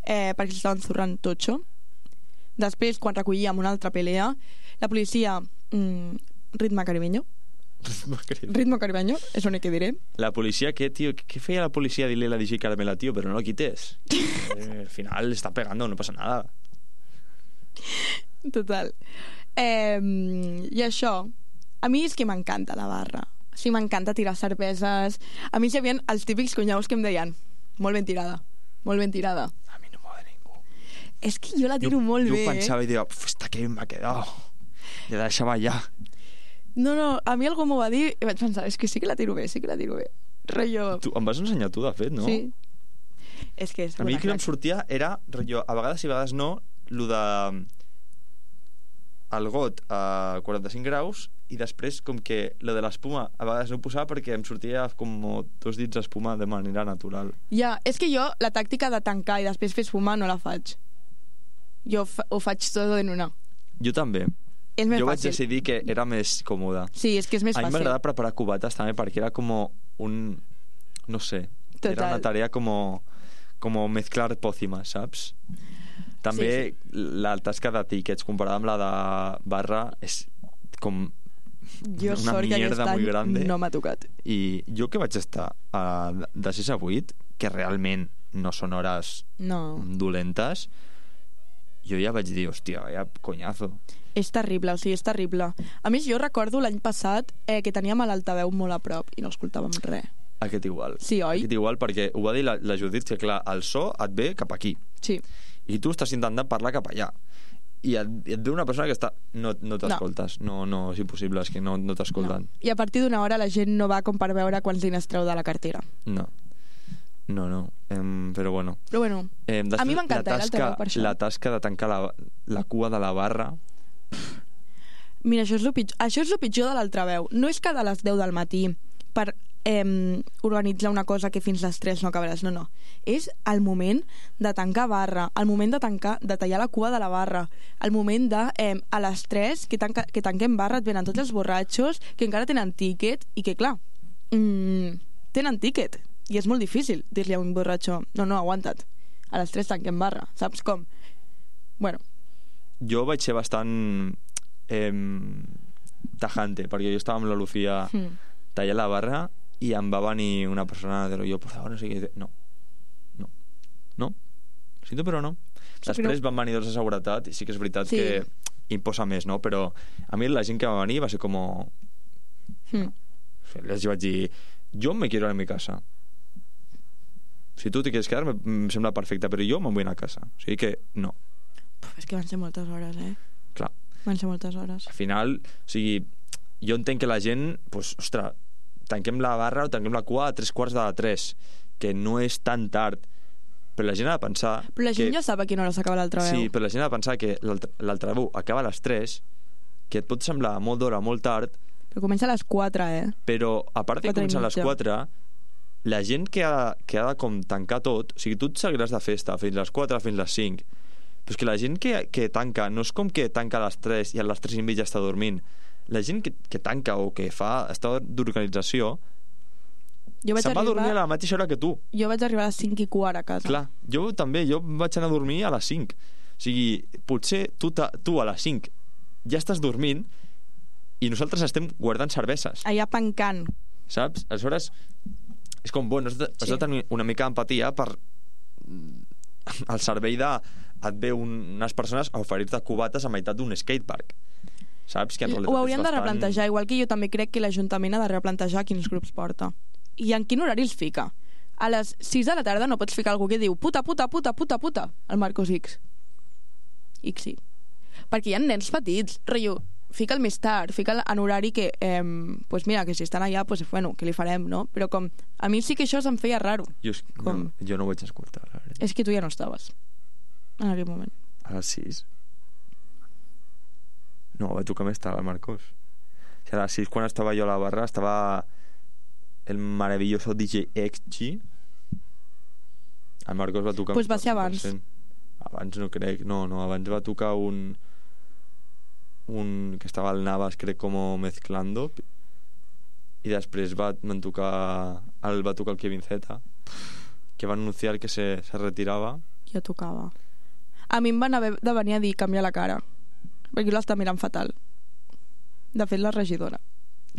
Speaker 3: eh, perquè s'estaven zurrant totxo. Després, quan recollíem una altra pelea, la policia... Mm, ritme caribeño. Ritmo caribeño, és l'únic que diré.
Speaker 5: La policia, què, tio? Què feia la policia a dir-li a la D J Carmela, tio? Però no lo quites. Eh, al final está pegando, no pasa nada.
Speaker 3: Total. Eh, I això, a mi és que m'encanta la barra. Sí, m'encanta tirar cerveses. A mi hi havia els típics cunyaus que em deien molt ben tirada, molt ben tirada.
Speaker 5: A mi no m'ho de ningú.
Speaker 3: És que jo la tiro
Speaker 5: jo,
Speaker 3: molt
Speaker 5: jo
Speaker 3: bé.
Speaker 5: Jo pensava i deia, està que m'ha quedat. I la deixava allà.
Speaker 3: No, no, a mi algú m'ho va dir i vaig pensar, és que sí que la tiro bé, sí que la tiro bé. Rollo...
Speaker 5: Tu, em vas ensenyar tu, de fet, no?
Speaker 3: Sí. És que és
Speaker 5: A mi el que em
Speaker 3: crac.
Speaker 5: sortia era, rotllo, a vegades i a vegades no, lo de el got a quaranta-cinc graus i després com que lo de l'espuma a vegades no ho posava perquè em sortia com dos dits d'espuma de manera natural.
Speaker 3: Ja, és que jo la tàctica de tancar i després fer esfumar no la faig. Jo fa ho faig tot en una.
Speaker 5: Jo també.
Speaker 3: És més
Speaker 5: Jo vaig
Speaker 3: fàcil.
Speaker 5: decidir que era més còmode.
Speaker 3: Sí, és que és més
Speaker 5: A mi
Speaker 3: fàcil.
Speaker 5: m'agrada preparar cubates també perquè era com un... no sé.
Speaker 3: Total.
Speaker 5: Era una tarea como, como mezclar pócimas, saps? També
Speaker 3: Sí,
Speaker 5: la tasca de tiquets comparada amb la de barra és com
Speaker 3: Jo
Speaker 5: una
Speaker 3: sort que aquest
Speaker 5: mierda muy
Speaker 3: any
Speaker 5: grande.
Speaker 3: no m'ha tocat.
Speaker 5: I jo que vaig estar a, de sis a vuit, que realment no són hores
Speaker 3: No.
Speaker 5: dolentes, jo ja vaig dir, hòstia, vaya coñazo.
Speaker 3: És terrible, o sigui, és terrible. A més, jo recordo l'any passat eh, que teníem a l'altaveu molt a prop i no escoltàvem res.
Speaker 5: Aquest igual.
Speaker 3: Sí, oi?
Speaker 5: Aquest igual perquè ho va dir la, la Judit, que clar, el so et ve cap aquí.
Speaker 3: Sí.
Speaker 5: I tu estàs intentant parlar cap allà. I et, i et ve una persona que està... No, no t'escoltes. No. no, no, és impossible, és que no, no t'escolten.
Speaker 3: No. I a partir d'una hora la gent no va com per veure quants diners treu de la cartera.
Speaker 5: No. No, no. Em, però bueno.
Speaker 3: Però bueno,
Speaker 5: Eh,
Speaker 3: a mi m'encanta
Speaker 5: la
Speaker 3: eh,
Speaker 5: tasca,
Speaker 3: l'altaveu per això.
Speaker 5: la tasca de tancar la, la cua de la barra.
Speaker 3: Mira, això és el pitjor, això és el pitjor de l'altaveu. No és que a les deu del matí per eh, organitzar una cosa que fins les tres no acabaràs, no, no. És el moment de tancar barra, el moment de tancar, de tallar la cua de la barra, el moment de, eh, a les tres que, tanca, que tanquem barra, et venen tots els borratxos que encara tenen tíquet i que, clar, mm, tenen tíquet i és molt difícil dir-li a un borratxo, no, no, aguanta't, a les tres tanquem barra, saps com? Bueno,
Speaker 5: Jo vaig ser bastant eh, tajante, perquè jo estava amb la Lucía
Speaker 3: mm.
Speaker 5: tallant la barra i em va venir una persona de jo, por favor, no sé què, no, no, no, siento però no. Després van venir dos de seguretat i sí que és veritat
Speaker 3: Sí.
Speaker 5: que imposa més, no? Però a mi la gent que va venir va ser com...
Speaker 3: Mm.
Speaker 5: Les vaig dir, jo me quiero ir a mi casa. Si tu te quieres quedar, me, me sembla perfecte, però jo me'n vull anar a casa. O sigui que no,
Speaker 3: Puf, és que van ser moltes hores, eh?
Speaker 5: clar.
Speaker 3: Van ser moltes hores.
Speaker 5: Al final, o sigui, jo entenc que la gent, pues, ostres, tanquem la barra o tanquem la cua a tres quarts de tres, que no és tan tard, però la gent ha de pensar...
Speaker 3: Però la gent
Speaker 5: que...
Speaker 3: ja sap a quina hora s'acaba l'altraveu.
Speaker 5: Sí, però la gent ha de pensar que l'altraveu acaba a les tres, que et pot semblar molt d'hora, molt tard,
Speaker 3: Però Que comença a les quatre, eh?
Speaker 5: Però, a part de
Speaker 3: Quatre i
Speaker 5: començar a les
Speaker 3: mitja.
Speaker 5: quatre, la gent que ha, que ha de com tancar tot, o sigui, tu et seguiràs de festa fins les quatre, fins les cinc, però és que la gent que, que tanca no és com que tanca a les tres i a les tres i mitja està dormint. La gent que, que tanca o que fa estat d'organització
Speaker 3: Jo vaig
Speaker 5: se'n va a dormir a
Speaker 3: arribar...
Speaker 5: la mateixa hora que tu.
Speaker 3: Jo vaig arribar a les cinc i quart a casa.
Speaker 5: Clar, jo també, jo vaig anar a dormir a les cinc. O sigui, potser tu, ta, tu a les cinc ja estàs dormint i nosaltres estem guardant cerveses,
Speaker 3: Allà pencant.
Speaker 5: saps? Aleshores, és com, bueno, has de, has
Speaker 3: Sí.
Speaker 5: de tenir una mica d'empatia per el servei de... et ve un, unes persones a oferir-te cubates a meitat d'un skatepark. Saps? Que en realitat
Speaker 3: Ho haurien
Speaker 5: és
Speaker 3: de
Speaker 5: bastant...
Speaker 3: replantejar, igual que jo també crec que l'Ajuntament ha de replantejar quins grups porta. I en quin horari els fica? A les sis de la tarda no pots ficar algú que diu puta, puta, puta, puta, puta, al Marcos X. X sí. Perquè hi ha nens petits, rotllo, fica'l més tard, fica'l en horari que, eh, pues mira, que si estan allà, pues bueno, què li farem, no? Però com, a mi sí que això se'm feia raro.
Speaker 5: Jo, és-
Speaker 3: Com?
Speaker 5: no, jo no ho vaig escoltar, la veritat.
Speaker 3: És que tu ja no estaves en aquell moment.
Speaker 5: A les sis? No, va tocar més tard, el Marcos. O sigui, a les sis, quan estava jo a la barra, estava el maravilloso D J X G. El Marcos va tocar...
Speaker 3: Pues va
Speaker 5: un
Speaker 3: ser
Speaker 5: quaranta per
Speaker 3: abans.
Speaker 5: cent. Abans no crec, no, no, abans va tocar un... un que estava al Navas, crec, com mezclando, i després va, van tocar el, va tocar el Kevin Z, que va anunciar que se, se retirava.
Speaker 3: Ja tocava. A mi em van haver de venir a dir canviar la cara, perquè l'està mirant fatal. De fet, la regidora.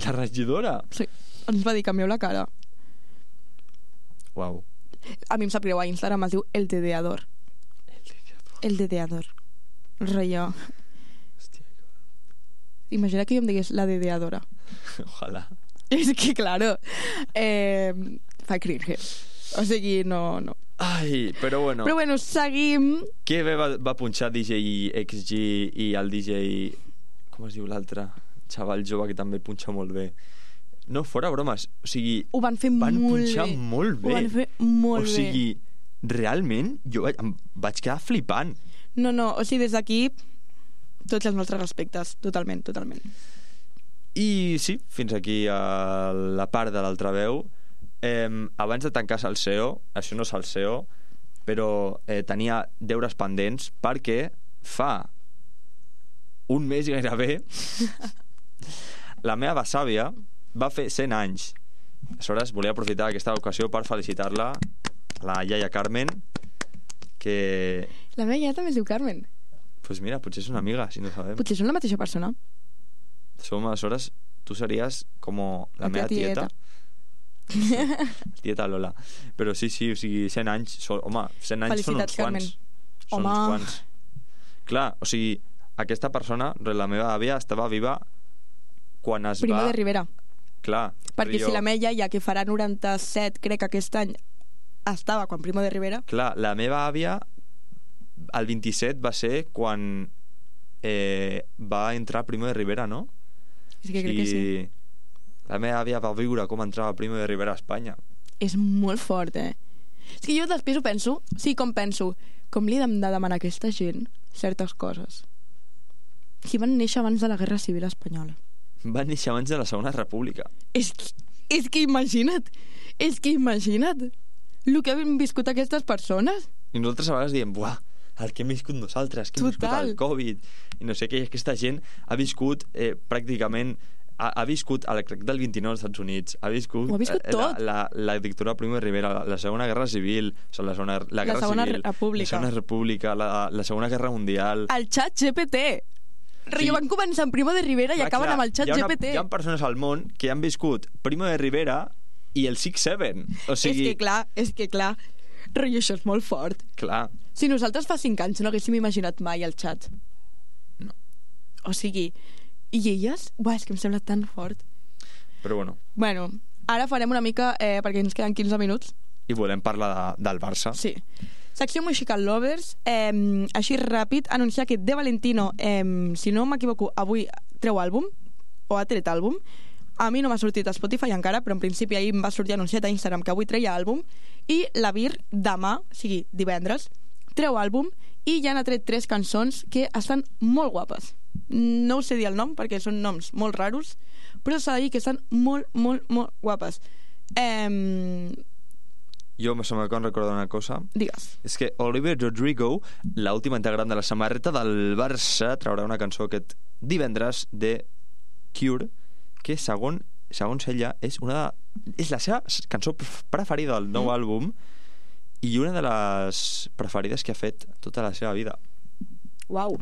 Speaker 5: La regidora?
Speaker 3: Sí, ens va dir canvieu la cara.
Speaker 5: Uau.
Speaker 3: A mi em sap greu, a Instagram es diu El Dedeador. El Dedeador. Rollo.
Speaker 5: Hòstia,
Speaker 3: Imagina que jo em digués la Dedeadora.
Speaker 5: ojalà.
Speaker 3: És que, claro, eh, fa cringe. O sigui, no, no.
Speaker 5: Ai, però bueno,
Speaker 3: Però bueno, seguim.
Speaker 5: que bé va, va punxar D J X G i el D J... Com es diu l'altre? Xaval jove que també punxa molt bé. No, fora bromes. O sigui,
Speaker 3: Ho van fer
Speaker 5: van
Speaker 3: molt
Speaker 5: punxar
Speaker 3: bé.
Speaker 5: molt bé.
Speaker 3: Ho van fer molt
Speaker 5: o sigui, realment, jo vaig, em vaig quedar flipant.
Speaker 3: bé. No, no, o sigui, des d'aquí tots els nostres respectes, totalment, totalment.
Speaker 5: I sí, fins aquí a la part de l'altaveu. Eh, abans de tancar Salseo, això no és Salseo, però eh, tenia deures pendents perquè fa un mes gairebé la meva besàvia va fer cent anys. Aleshores, volia aprofitar aquesta ocasió per felicitar-la, la iaia Carmen, que...
Speaker 3: La meva iaia també es diu Carmen.
Speaker 5: Pues mira, potser és una amiga, si no sabem.
Speaker 3: Potser són la mateixa persona.
Speaker 5: Som, aleshores, tu series com la,
Speaker 3: La
Speaker 5: meva
Speaker 3: teva
Speaker 5: tieta. Tieta Lola. Però sí, sí, o sigui, cent anys són, home, cent anys són uns
Speaker 3: Felicitats, Carmen.
Speaker 5: quants. Són
Speaker 3: Home.
Speaker 5: uns quants. Clar, o sigui, aquesta persona, la meva àvia, estava viva quan es
Speaker 3: Primo
Speaker 5: va...
Speaker 3: de Rivera.
Speaker 5: Clar.
Speaker 3: Perquè
Speaker 5: jo...
Speaker 3: si la meva iaia, que farà noranta-set, crec, aquest any, estava quan Primo de Rivera...
Speaker 5: Clar, la meva àvia, el vint-i-set va ser quan eh, va entrar Primo de Rivera, no?
Speaker 3: És que crec que sí.
Speaker 5: La meva àvia va viure com entrava Primo de Rivera a Espanya.
Speaker 3: És molt fort, eh? És que jo després ho penso, sí, com penso, com li hem de demanar a aquesta gent certes coses. Si van néixer abans de la Guerra Civil Espanyola.
Speaker 5: Va néixer abans de la Segona República.
Speaker 3: És, és que imagina't, és que imagina't el que han viscut aquestes persones.
Speaker 5: I nosaltres a vegades diem, buah, el que hem viscut nosaltres, que hem viscut
Speaker 3: Total.
Speaker 5: el Covid, i no sé què, i aquesta gent ha viscut eh, pràcticament, ha, ha viscut el crac del vint-i-nou als Estats Units, ha viscut,
Speaker 3: Ho ha viscut
Speaker 5: eh,
Speaker 3: tot.
Speaker 5: La, la, la dictadura de Primo de Rivera, la, la Segona Guerra Civil, o sigui, la, segona, la,
Speaker 3: La
Speaker 5: Guerra
Speaker 3: Segona
Speaker 5: Civil,
Speaker 3: República.
Speaker 5: la Segona República, la, la Segona Guerra Mundial...
Speaker 3: El xat G P T. Sí.
Speaker 5: Sí.
Speaker 3: Van començar amb Primo de Rivera i
Speaker 5: Clar,
Speaker 3: acaben
Speaker 5: clar,
Speaker 3: amb el xat
Speaker 5: hi ha una-
Speaker 3: G P T.
Speaker 5: Hi ha persones al món que han viscut Primo de Rivera i el six seven. O sigui,
Speaker 3: És que clar, és que clar. Rotllo, això és molt fort.
Speaker 5: clar,
Speaker 3: Si nosaltres fa cinc anys no haguéssim imaginat mai el xat.
Speaker 5: No.
Speaker 3: O sigui, i elles? Buah, és que em sembla tan fort.
Speaker 5: però bueno,
Speaker 3: Bueno, ara farem una mica, eh, perquè ens queden quinze minuts.
Speaker 5: i volem parlar de, del Barça.
Speaker 3: Sí. Secció Musical Lovers, eh, així ràpid, anunciar que De Valentino, eh, si no m'equivoco, avui treu àlbum, o ha tret àlbum. A mi no m'ha sortit a Spotify encara, però en principi ahir em va sortir anunciat a Instagram que avui treia àlbum. I la Vir, demà, o sigui, divendres, treu àlbum i ja n'ha tret tres cançons que estan molt guapes. No us sé dir el nom perquè són noms molt raros, però s'ha de dir que estan molt, molt, molt guapes. Eh...
Speaker 5: Jo me sembla que em recordo una cosa.
Speaker 3: Digues.
Speaker 5: És que Olivia Rodrigo, l'última integrant de la samarreta del Barça, traurà una cançó aquest divendres de Cure, que segon, segons ella és una de, és la seva cançó preferida del nou mm. àlbum i una de les preferides que ha fet tota la seva vida.
Speaker 3: Uau.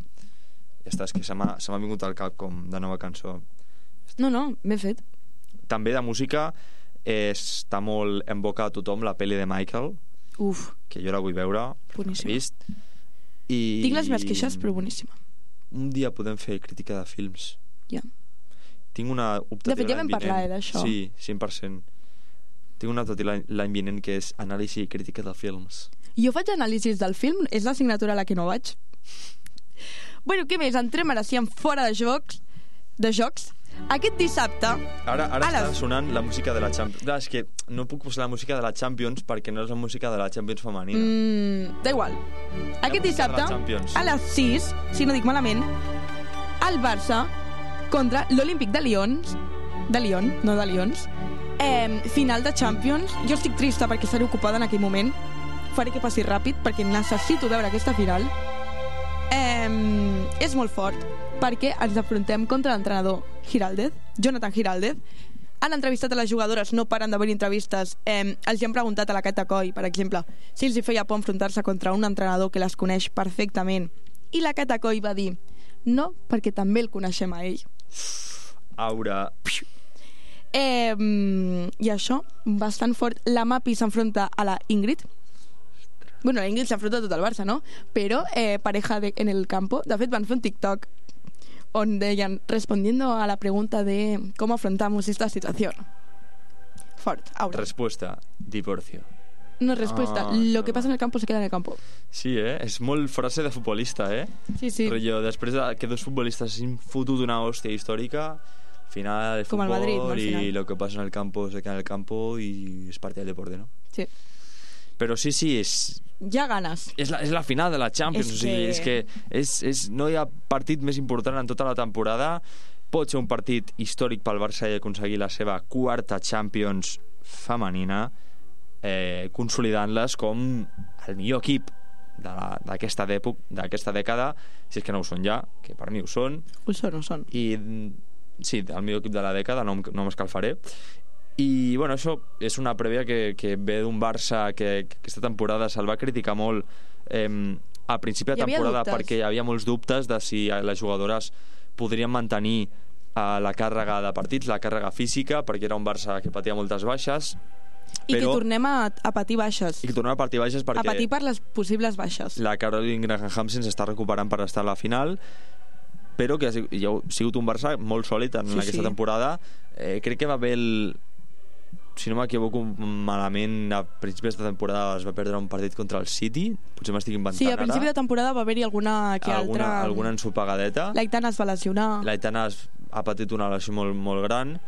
Speaker 5: Ja està, és que se m'ha, se m'ha vingut al cap com de nova cançó.
Speaker 3: No, no, ben fet.
Speaker 5: També de música està molt en boca a tothom la pel·li de Michael.
Speaker 3: Uf.
Speaker 5: Que jo la vull veure.
Speaker 3: Boníssima.
Speaker 5: L'he vist. I...
Speaker 3: Tinc les meves queixes, però boníssima.
Speaker 5: Un dia podem fer crítica de films.
Speaker 3: Ja.
Speaker 5: Tinc una optativa
Speaker 3: de fet, ja vam parlar eh, d'això.
Speaker 5: Sí, cent per cent. Tinc una optativa l'any vinent que és anàlisi i crítica de films.
Speaker 3: Jo faig anàlisis del film, és l'assignatura a la que no vaig. Bueno, què més? Entrem ara sí en fora de jocs. De jocs. Aquest dissabte...
Speaker 5: Ara, ara
Speaker 3: les...
Speaker 5: està sonant la música de la Champions. Clar, és que no puc posar la música de la Champions perquè no és la música de la Champions femenina.
Speaker 3: Mm, da igual.
Speaker 5: La
Speaker 3: Aquest dissabte, a les sis, si no dic malament, el Barça contra l'Olímpic de Lions, de Lyon, no de Lions, eh, final de Champions. Jo estic trista perquè estaré ocupada en aquell moment. Faré que passi ràpid perquè necessito veure aquesta final. Eh, és molt fort perquè ens afrontem contra l'entrenador Giraldez, Jonathan Giraldez. Han entrevistat a les jugadores, no paren d'haver entrevistes. Eh, els han preguntat a la Cata Coll, per exemple, si els hi feia por enfrontar-se contra un entrenador que les coneix perfectament. I la Cata Coll va dir no, perquè també el coneixem a ell.
Speaker 5: Aura.
Speaker 3: Eh, I això, bastant fort. La Mapi s'enfronta a la Ingrid. Bueno, la Ingrid s'enfronta a tot el Barça, no? Però eh, pareja de, en el campo. De fet, van fer un TikTok on deien, respondiendo a la pregunta de cómo afrontamos esta situación. Fort, Aura.
Speaker 5: Respuesta, divorcio.
Speaker 3: No respuesta,
Speaker 5: Ah,
Speaker 3: lo
Speaker 5: no.
Speaker 3: que pasa en el campo se queda en el campo.
Speaker 5: Sí, eh? És molt frase de futbolista, eh?
Speaker 3: Sí, sí.
Speaker 5: Però després de que dos futbolistes s'han fotut una hòstia històrica, al final el
Speaker 3: Com el
Speaker 5: futbol
Speaker 3: Madrid, no, al
Speaker 5: y
Speaker 3: final.
Speaker 5: lo que pasa en el campo se queda en el campo y es parte del deporte, ¿no?
Speaker 3: Sí.
Speaker 5: Però sí, sí, és,
Speaker 3: Ja ganes.
Speaker 5: és, la, és la final de la Champions.
Speaker 3: És
Speaker 5: O sigui,
Speaker 3: que-
Speaker 5: és que és, és, no hi ha partit més important en tota la temporada. Pot ser un partit històric pel Barça i aconseguir la seva quarta Champions femenina, eh, consolidant-les com el millor equip de la- d'aquesta d'època, d'aquesta dècada, si és que no ho són ja, que per mi ho són,
Speaker 3: Ho són, ho són.
Speaker 5: i sí, el millor equip de la dècada, no, em- no m'escalfaré. I bueno, això és una prèvia que, que ve d'un Barça que, que aquesta temporada se'l va criticar molt eh, a principi de
Speaker 3: Hi havia
Speaker 5: temporada
Speaker 3: dubtes.
Speaker 5: perquè hi havia molts dubtes de si les jugadores podrien mantenir eh, la càrrega de partits, la càrrega física, perquè era un Barça que patia moltes baixes,
Speaker 3: I que
Speaker 5: però-
Speaker 3: tornem a, a patir baixes.
Speaker 5: i que tornava a partir baixes
Speaker 3: A
Speaker 5: perquè
Speaker 3: patir per les possibles baixes.
Speaker 5: la Caroline Graham se'ns està recuperant per estar a la final, però que ha sigut, ja ha sigut un Barça molt sòlid en
Speaker 3: Sí,
Speaker 5: aquesta
Speaker 3: sí.
Speaker 5: temporada. Eh, crec que va haver el, si no m'equivoco malament, a principis de temporada es va perdre un partit contra el City, potser m'estic inventant
Speaker 3: Sí, a principi de
Speaker 5: ara.
Speaker 3: temporada va haver-hi alguna que
Speaker 5: alguna,
Speaker 3: altra...
Speaker 5: alguna ensopegadeta.
Speaker 3: L'Aitana es va lesionar.
Speaker 5: L'Aitana es- ha patit una lesió molt, molt gran,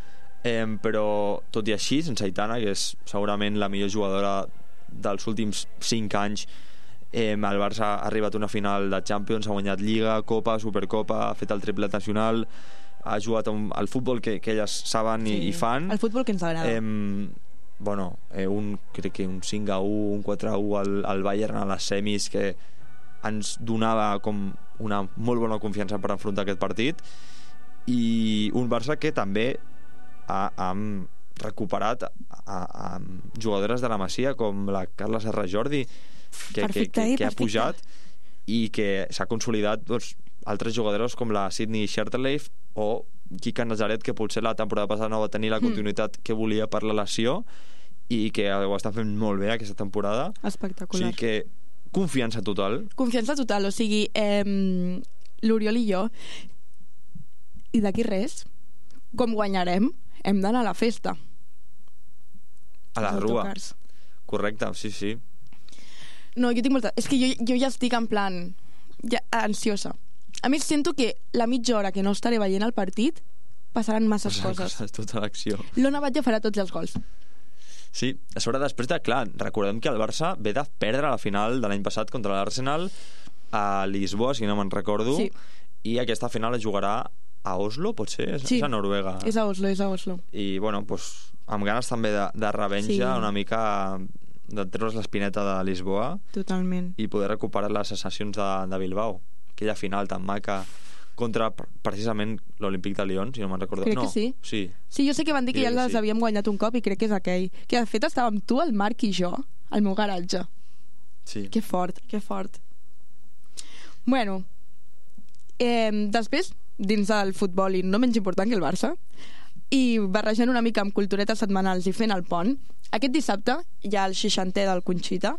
Speaker 5: eh, però tot i així, sense Aitana, que és segurament la millor jugadora dels últims cinc anys, eh, el Barça ha arribat a una final de Champions, ha guanyat Lliga, Copa, Supercopa, ha fet el triplet nacional, ha jugat un, al futbol que, que elles saben i, i fan.
Speaker 3: El futbol que ens agrada.
Speaker 5: Eh, bueno, eh, un, crec que un cinc a u, un quatre a u al, al Bayern a les semis, que ens donava com una molt bona confiança per enfrontar aquest partit, i un Barça que també ha, ha recuperat a, a, a jugadores de la Masia com la Carla Serra Jordi, que,
Speaker 3: Perfecte,
Speaker 5: que, que,
Speaker 3: eh,
Speaker 5: que ha
Speaker 3: perfecte.
Speaker 5: pujat i que s'ha consolidat, doncs, altres jugadors com la Sydney Scherterleif o Kika Nazaret, que potser la temporada passada no va tenir la continuïtat mm. que volia per la lesió i que ho està fent molt bé aquesta temporada. O
Speaker 3: Espectacular.
Speaker 5: sigui que confiança total.
Speaker 3: Confiança total, o sigui, eh, l'Oriol i jo, i d'aquí res, com guanyarem, hem d'anar a la festa.
Speaker 5: A la
Speaker 3: Els
Speaker 5: rua.
Speaker 3: autocars.
Speaker 5: Correcte, sí, sí.
Speaker 3: No, jo tinc molta... És que jo, jo ja estic en plan... Ja, ansiosa. A més, sento que la mitja hora que no estaré veient el partit passaran masses coses.
Speaker 5: Tota l'acció.
Speaker 3: L'Ona Batlle farà tots els gols.
Speaker 5: Sí, a sobre després de... Clar, recordem que el Barça ve de perdre la final de l'any passat contra l'Arsenal a Lisboa, si no me'n recordo,
Speaker 3: Sí.
Speaker 5: i aquesta final es jugarà a Oslo, potser? És,
Speaker 3: Sí.
Speaker 5: és a Noruega.
Speaker 3: És a Oslo, és a Oslo.
Speaker 5: I, bueno, pues, amb ganes també de, de revenja,
Speaker 3: Sí.
Speaker 5: una mica de treure's l'espineta de Lisboa
Speaker 3: Totalment.
Speaker 5: i poder recuperar les sensacions de, de Bilbao. Aquella final tan maca contra precisament l'Olímpic de Lyon, si no me'n recordo.
Speaker 3: Crec
Speaker 5: no,
Speaker 3: que sí.
Speaker 5: Sí.
Speaker 3: Sí, jo sé que van dir que ja
Speaker 5: Crec que
Speaker 3: les
Speaker 5: sí.
Speaker 3: havíem guanyat un cop i crec que és aquell. Que de fet estàvem tu, el Marc i jo al meu garatge.
Speaker 5: sí.
Speaker 3: Que fort, que fort. Bueno, eh, després, dins del futbol i no menys important que el Barça, i barrejant una mica amb culturetes setmanals i fent el pont, aquest dissabte hi ha el seixantè del Conxita.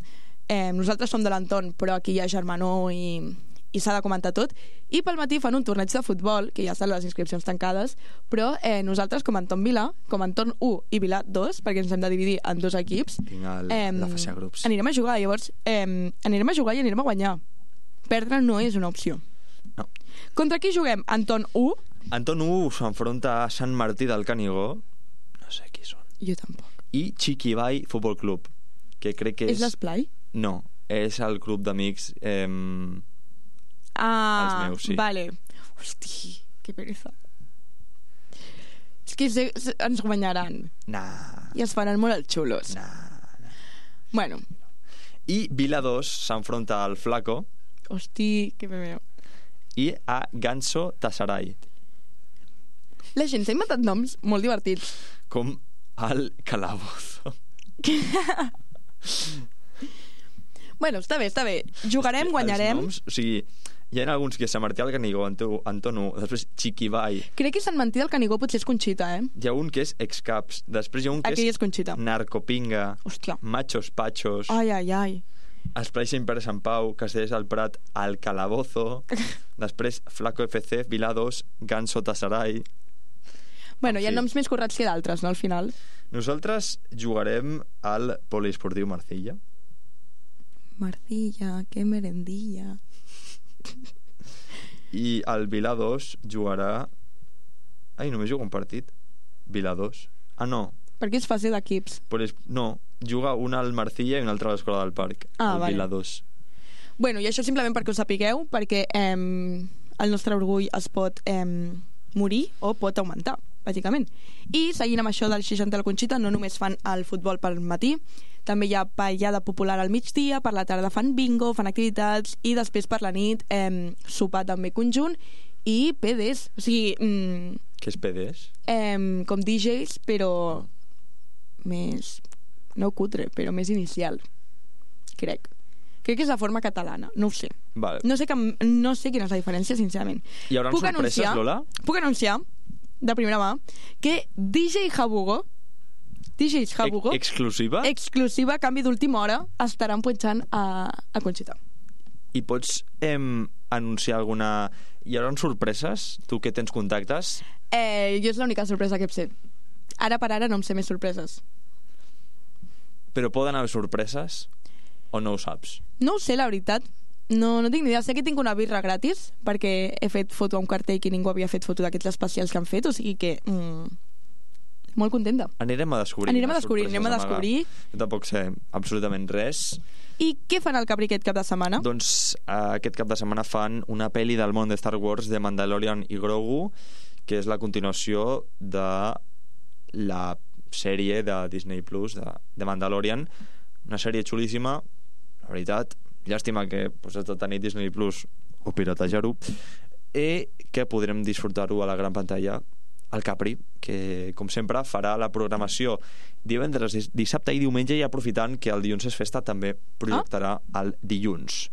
Speaker 3: Eh, nosaltres som de l'entorn, però aquí hi ha germanor i, i s'ha de comentar tot. I pel matí fan un torneig de futbol, que ja estan les inscripcions tancades, però eh, nosaltres, com a entorn Vilà, com a entorn u i Vilà dos, perquè ens hem de dividir en dos equips,
Speaker 5: Tinc el,
Speaker 3: Em,
Speaker 5: la fase de grups.
Speaker 3: anirem a jugar. Llavors, eh, anirem a jugar i anirem a guanyar. Perdre no és una opció.
Speaker 5: No.
Speaker 3: Contra qui juguem? Anton u?
Speaker 5: Anton U s'enfronta a Sant Martí del Canigó, no sé qui són,
Speaker 3: Jo tampoc.
Speaker 5: i Chiquibai Futbol Club, que crec que és...
Speaker 3: És l'esplai?
Speaker 5: No, és el grup d'amics... Eh...
Speaker 3: Ah,
Speaker 5: Els meus, sí.
Speaker 3: Vale. Hosti, que pereza. És que se, se, ens guanyaran.
Speaker 5: Nah,
Speaker 3: I es faran molt els xulos.
Speaker 5: nah.
Speaker 3: Bueno,
Speaker 5: I Vila dos s'enfronta al Flaco
Speaker 3: hosti, que me veu.
Speaker 5: i a Ganso Tassaray,
Speaker 3: La gent s'ha inventat noms molt divertits.
Speaker 5: com el Calabozo.
Speaker 3: Bueno, està bé, està bé. Jugarem, guanyarem.
Speaker 5: Els noms, o sigui, hi ha alguns que Sant Martí del Canigó, Anto- Anton U, després Chiquibai,
Speaker 3: Crec que Sant Martí del Canigó potser és Conxita, eh?
Speaker 5: hi ha un que és Excaps, després hi ha un que
Speaker 3: Aquell
Speaker 5: és
Speaker 3: és Conxita.
Speaker 5: Narcopinga,
Speaker 3: Hòstia.
Speaker 5: Machos Pachos,
Speaker 3: Ai, ai, ai.
Speaker 5: Esplai Pere Sant Pau, Castellers del Prat, El Calabozo, després Flaco F C, Vilà dos, Ganso Tassaray.
Speaker 3: Bueno,
Speaker 5: En
Speaker 3: hi ha
Speaker 5: fi.
Speaker 3: noms més corrects que d'altres, no, al final?
Speaker 5: Nosaltres jugarem al Poliesportiu Marcilla.
Speaker 3: Marcilla, que merendilla.
Speaker 5: I el Vilà dos jugarà... Ai, només juga un partit. Vilà dos. Ah, no.
Speaker 3: Perquè és fase d'equips.
Speaker 5: Polis... No, juga un al Marcilla i un altre a l'Escola del Parc.
Speaker 3: Ah,
Speaker 5: el
Speaker 3: vale.
Speaker 5: Vilà dos.
Speaker 3: Bueno, i això simplement perquè ho sapigueu, perquè eh, el nostre orgull es pot eh, morir o pot augmentar, bàsicament. I seguint amb això del seixanta de la Conxita, no només fan el futbol pel matí, també hi ha ballada popular al migdia, per la tarda fan bingo, fan activitats, i després per la nit eh, sopar també conjunt i P Ds, o sigui, mm,
Speaker 5: Què és P Ds?
Speaker 3: eh, com D Js, però més, no cutre, però més inicial, crec. Crec que és la forma catalana, no ho sé.
Speaker 5: Vale.
Speaker 3: No sé, que, no sé quina és la diferència, sincerament.
Speaker 5: Hi haurà
Speaker 3: Puc
Speaker 5: sorpreses,
Speaker 3: anunciar,
Speaker 5: Lola?
Speaker 3: Puc anunciar, de primera mà, que D J Habugo, D Js Habugo,
Speaker 5: Ex exclusiva?
Speaker 3: exclusiva, canvi d'última hora, estaran punxant a, a Conxita.
Speaker 5: I pots em, anunciar alguna... Hi haurà sorpreses? Tu que tens contactes?
Speaker 3: Eh, jo és l'única sorpresa que sé. Ara per ara no em sé més sorpreses.
Speaker 5: Però poden haver sorpreses? O no ho saps?
Speaker 3: No ho sé, la veritat. No, no tinc ni idea. Sé que tinc una birra gratis perquè he fet foto a un cartell que ningú havia fet foto d'aquests especials que han fet, o sigui que... Mm, molt contenta.
Speaker 5: Anirem a descobrir.
Speaker 3: Anirem a
Speaker 5: les
Speaker 3: descobrir,
Speaker 5: sorpreses
Speaker 3: anem a
Speaker 5: d'amagar.
Speaker 3: descobrir.
Speaker 5: Jo tampoc sé absolutament res.
Speaker 3: I què fan al Capri aquest cap de setmana?
Speaker 5: Doncs eh, aquest cap de setmana fan una pel·li del món de Star Wars de Mandalorian i Grogu, que és la continuació de la sèrie de Disney Plus de, de Mandalorian, una sèrie xulíssima, la veritat, llàstima que pues, has de tenir Disney Plus o piratejar-ho, i que podrem disfrutar-ho a la gran pantalla al Capri, que com sempre farà la programació divendres, dissabte i diumenge, i aprofitant que el dilluns és festa també projectarà ah? el dilluns.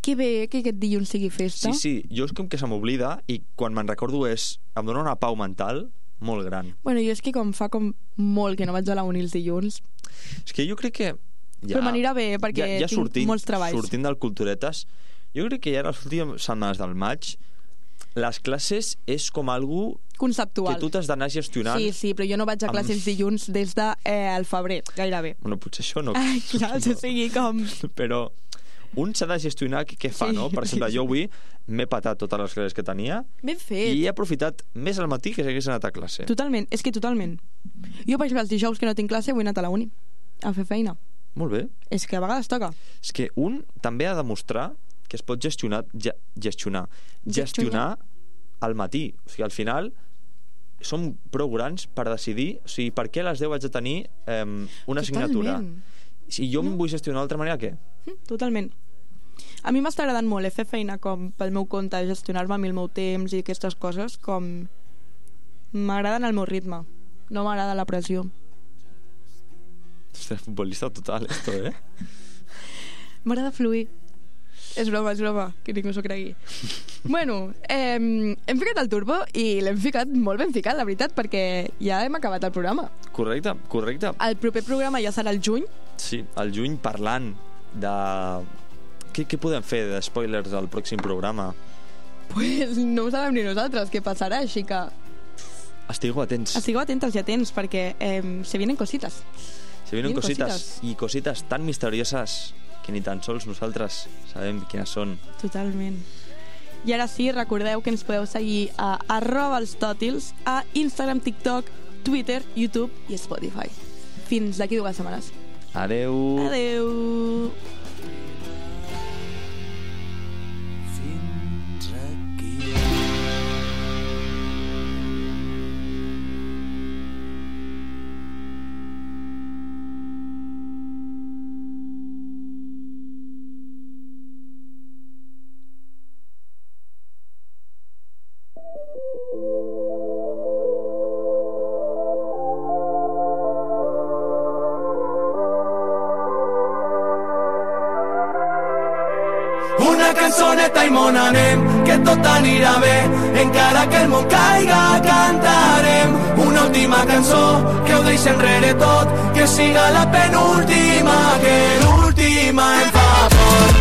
Speaker 3: Que bé que aquest dilluns sigui festa.
Speaker 5: Sí, sí, jo és com que se m'oblida i quan me'n recordo és... em dona una pau mental molt gran.
Speaker 3: Bueno, jo és que com fa com molt que no vaig a la uni els dilluns.
Speaker 5: És que jo crec que... Ja,
Speaker 3: Però m'anirà bé, perquè
Speaker 5: ja, ja
Speaker 3: tinc
Speaker 5: sortint,
Speaker 3: molts treballs.
Speaker 5: Sortint del Culturetes, jo crec que ja les últimes setmanes del maig les classes és com algú
Speaker 3: Conceptual.
Speaker 5: que tu t'has d'anar gestionant.
Speaker 3: Sí, sí, però jo no vaig a
Speaker 5: amb-
Speaker 3: classes dilluns des de eh, el febrer, gairebé.
Speaker 5: Bueno, potser això no...
Speaker 3: Ai, clar, o sigui, com...
Speaker 5: Però un s'ha de gestionar què fa,
Speaker 3: Sí,
Speaker 5: no? Per exemple,
Speaker 3: sí,
Speaker 5: jo
Speaker 3: sí.
Speaker 5: avui m'he patat totes les classes que tenia
Speaker 3: Ben fet.
Speaker 5: i he aprofitat més al matí que si hagués anat a classe.
Speaker 3: Totalment, és que totalment. Jo, per exemple, els dijous que no tinc classe, vull anar a la uni a fer feina.
Speaker 5: Molt bé.
Speaker 3: És que a vegades toca.
Speaker 5: És que un també ha de demostrar que es pot gestionar ge, gestionar gestionar al matí. O sigui, al final som prou grans per decidir, o sigui, per què a les deu haig de tenir eh, una assignatura. Si jo em vull gestionar d'altra manera, què?
Speaker 3: Totalment. A mi m'està agradant molt eh, fer feina com pel meu compte, gestionar-me el meu temps i aquestes coses, com m'agraden el meu ritme, no m'agrada la pressió.
Speaker 5: Ostres, futbolista total, esto, eh?
Speaker 3: M'agrada fluir. És broma, és broma, que ningú s'ho cregui. Bueno, eh, hem ficat el turbo i l'hem ficat molt ben ficat, la veritat, perquè ja hem acabat el programa.
Speaker 5: Correcte, correcte.
Speaker 3: El proper programa ja serà el juny.
Speaker 5: Sí, el juny, parlant de... Què, què podem fer de spoilers al pròxim programa?
Speaker 3: Pues no ho sabem ni nosaltres què passarà, així que...
Speaker 5: Estigueu atents.
Speaker 3: Estigueu atentes i atents, perquè eh, se vienen cositas.
Speaker 5: Se vienen cositas, cositas, i cositas tan misterioses que ni tan sols nosaltres sabem quines són.
Speaker 3: Totalment. I ara sí, recordeu que ens podeu seguir a arroba els tòtils a Instagram, TikTok, Twitter, YouTube i Spotify. Fins d'aquí dues setmanes.
Speaker 5: Adeu.
Speaker 3: Adeu.
Speaker 6: Una cançoneta i món anem, que tot anirà bé, encara que el món caiga cantarem. Una última cançó que ho deixa enrere tot, que siga la penúltima, que l'última em fa por.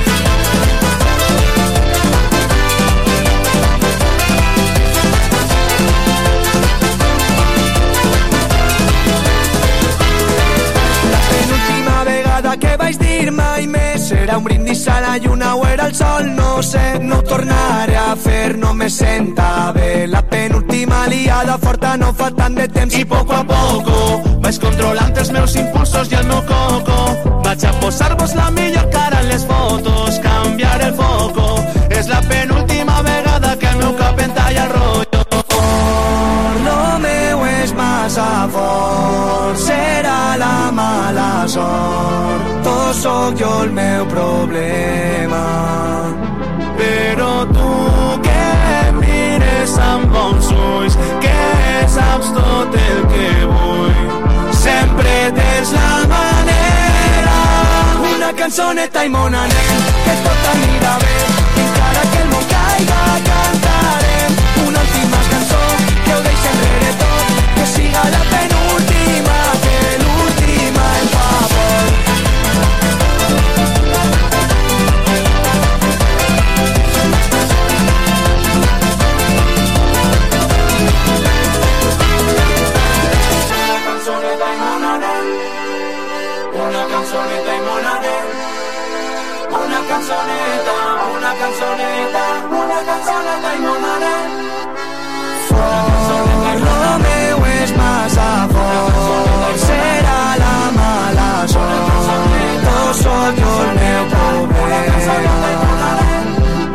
Speaker 6: Que vaig dir mai més serà un brindis a la lluna o era el sol, no sé, no ho tornaré a fer, no me senta bé. La penúltima liada forta no fa tant de temps i poco a poco vaig controlant els meus impulsos i el meu coco. Vaig a posar-vos la millor cara en les fotos, canviar el foco, és la penúltima vegada que el meu cap entalla el rotllo. Oh, lo meu és massa fort, serà la mala sort. Tot sóc jo el meu problema, però tu que em mires amb bons ulls, que saps tot el que vull, sempre tens la manera. Una cançoneta i món anem, que tot anirà bé, encara que el món caiga cantarem. Una última cançó que ho deixa enrere tot, que siga la penúltima, que l'última em fa por. Una canzoneta i món anem, una canzoneta, una canzoneta, una canzoneta i món anem. Fort, lo meu és massa fort, serà la mala sort, tot sóc jo el meu problema,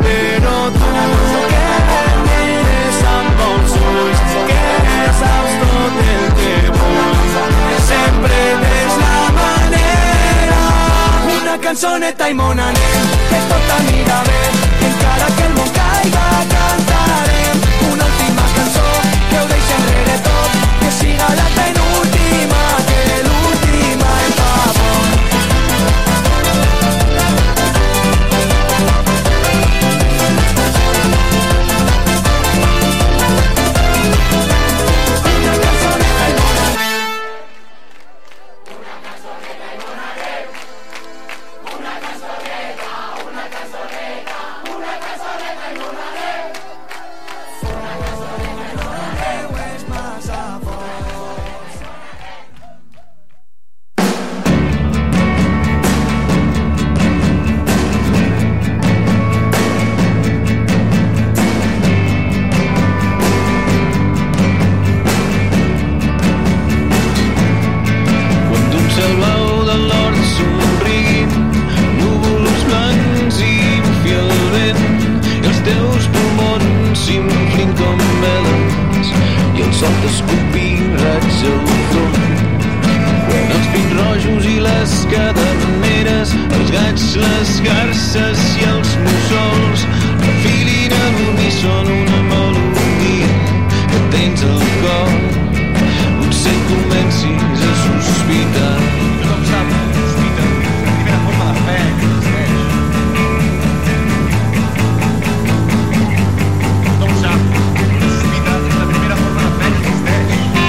Speaker 6: però tu que em mires amb bons ulls, que saps tot el que vull, sempre tens la manera. Una cançoneta i món anem, que tot anirà bé, encara que el món caiga cantarem. Una última cançó que ho deixa enrere tot, que siga la penúltima, que l'última em fa por. Una canzoneta, una canzoneta, una canzoneta.
Speaker 7: sota escopir raig al front. Quan els pins rojos i les caderneres, els gats, les garces i els mussols refilin a l'uníson una melodia que tens al cor, potser comencis a sospitar.
Speaker 8: Tothom sap, sospita, la primera forma de fe que existeix. Tothom sap, sospita, és la primera forma de fe que existeix.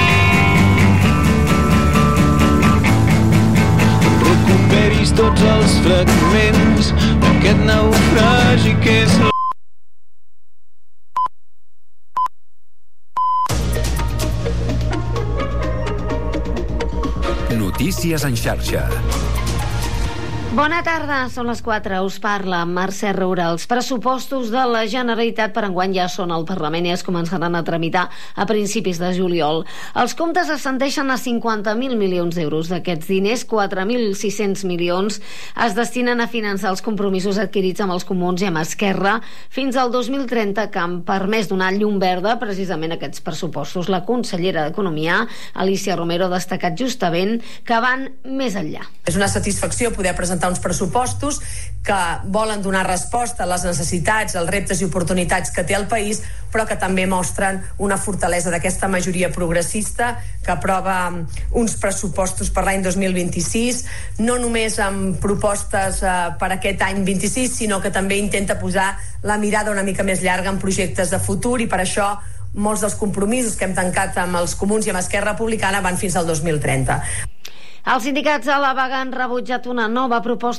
Speaker 7: Recuperis tots els fragments d'aquest naufragi que és la...
Speaker 9: Notícies en xarxa.
Speaker 10: Bona tarda, són les quatre. Us parla Mercè Roura. Els pressupostos de la Generalitat per enguany ja són al Parlament i es començaran a tramitar a principis de juliol. Els comptes ascendeixen a cinquanta mil milions d'euros. D'aquests diners, quatre mil sis-cents milions es destinen a finançar els compromisos adquirits amb els comuns i amb Esquerra fins al dos mil trenta, que han permès donar llum verda precisament a aquests pressupostos. La consellera d'Economia, Alicia Romero, ha destacat justament que van més enllà.
Speaker 11: És una satisfacció poder presentar uns pressupostos que volen donar resposta a les necessitats, als reptes i oportunitats que té el país, però que també mostren una fortalesa d'aquesta majoria progressista que aprova uns pressupostos per l'any dos mil vint-i-sis, no només amb propostes eh, per aquest any vint-i-sis, sinó que també intenta posar la mirada una mica més llarga en projectes de futur, i per això molts dels compromisos que hem tancat amb els comuns i amb Esquerra Republicana van fins al dos mil trenta.
Speaker 10: Els sindicats a la vaga han rebutjat una nova proposta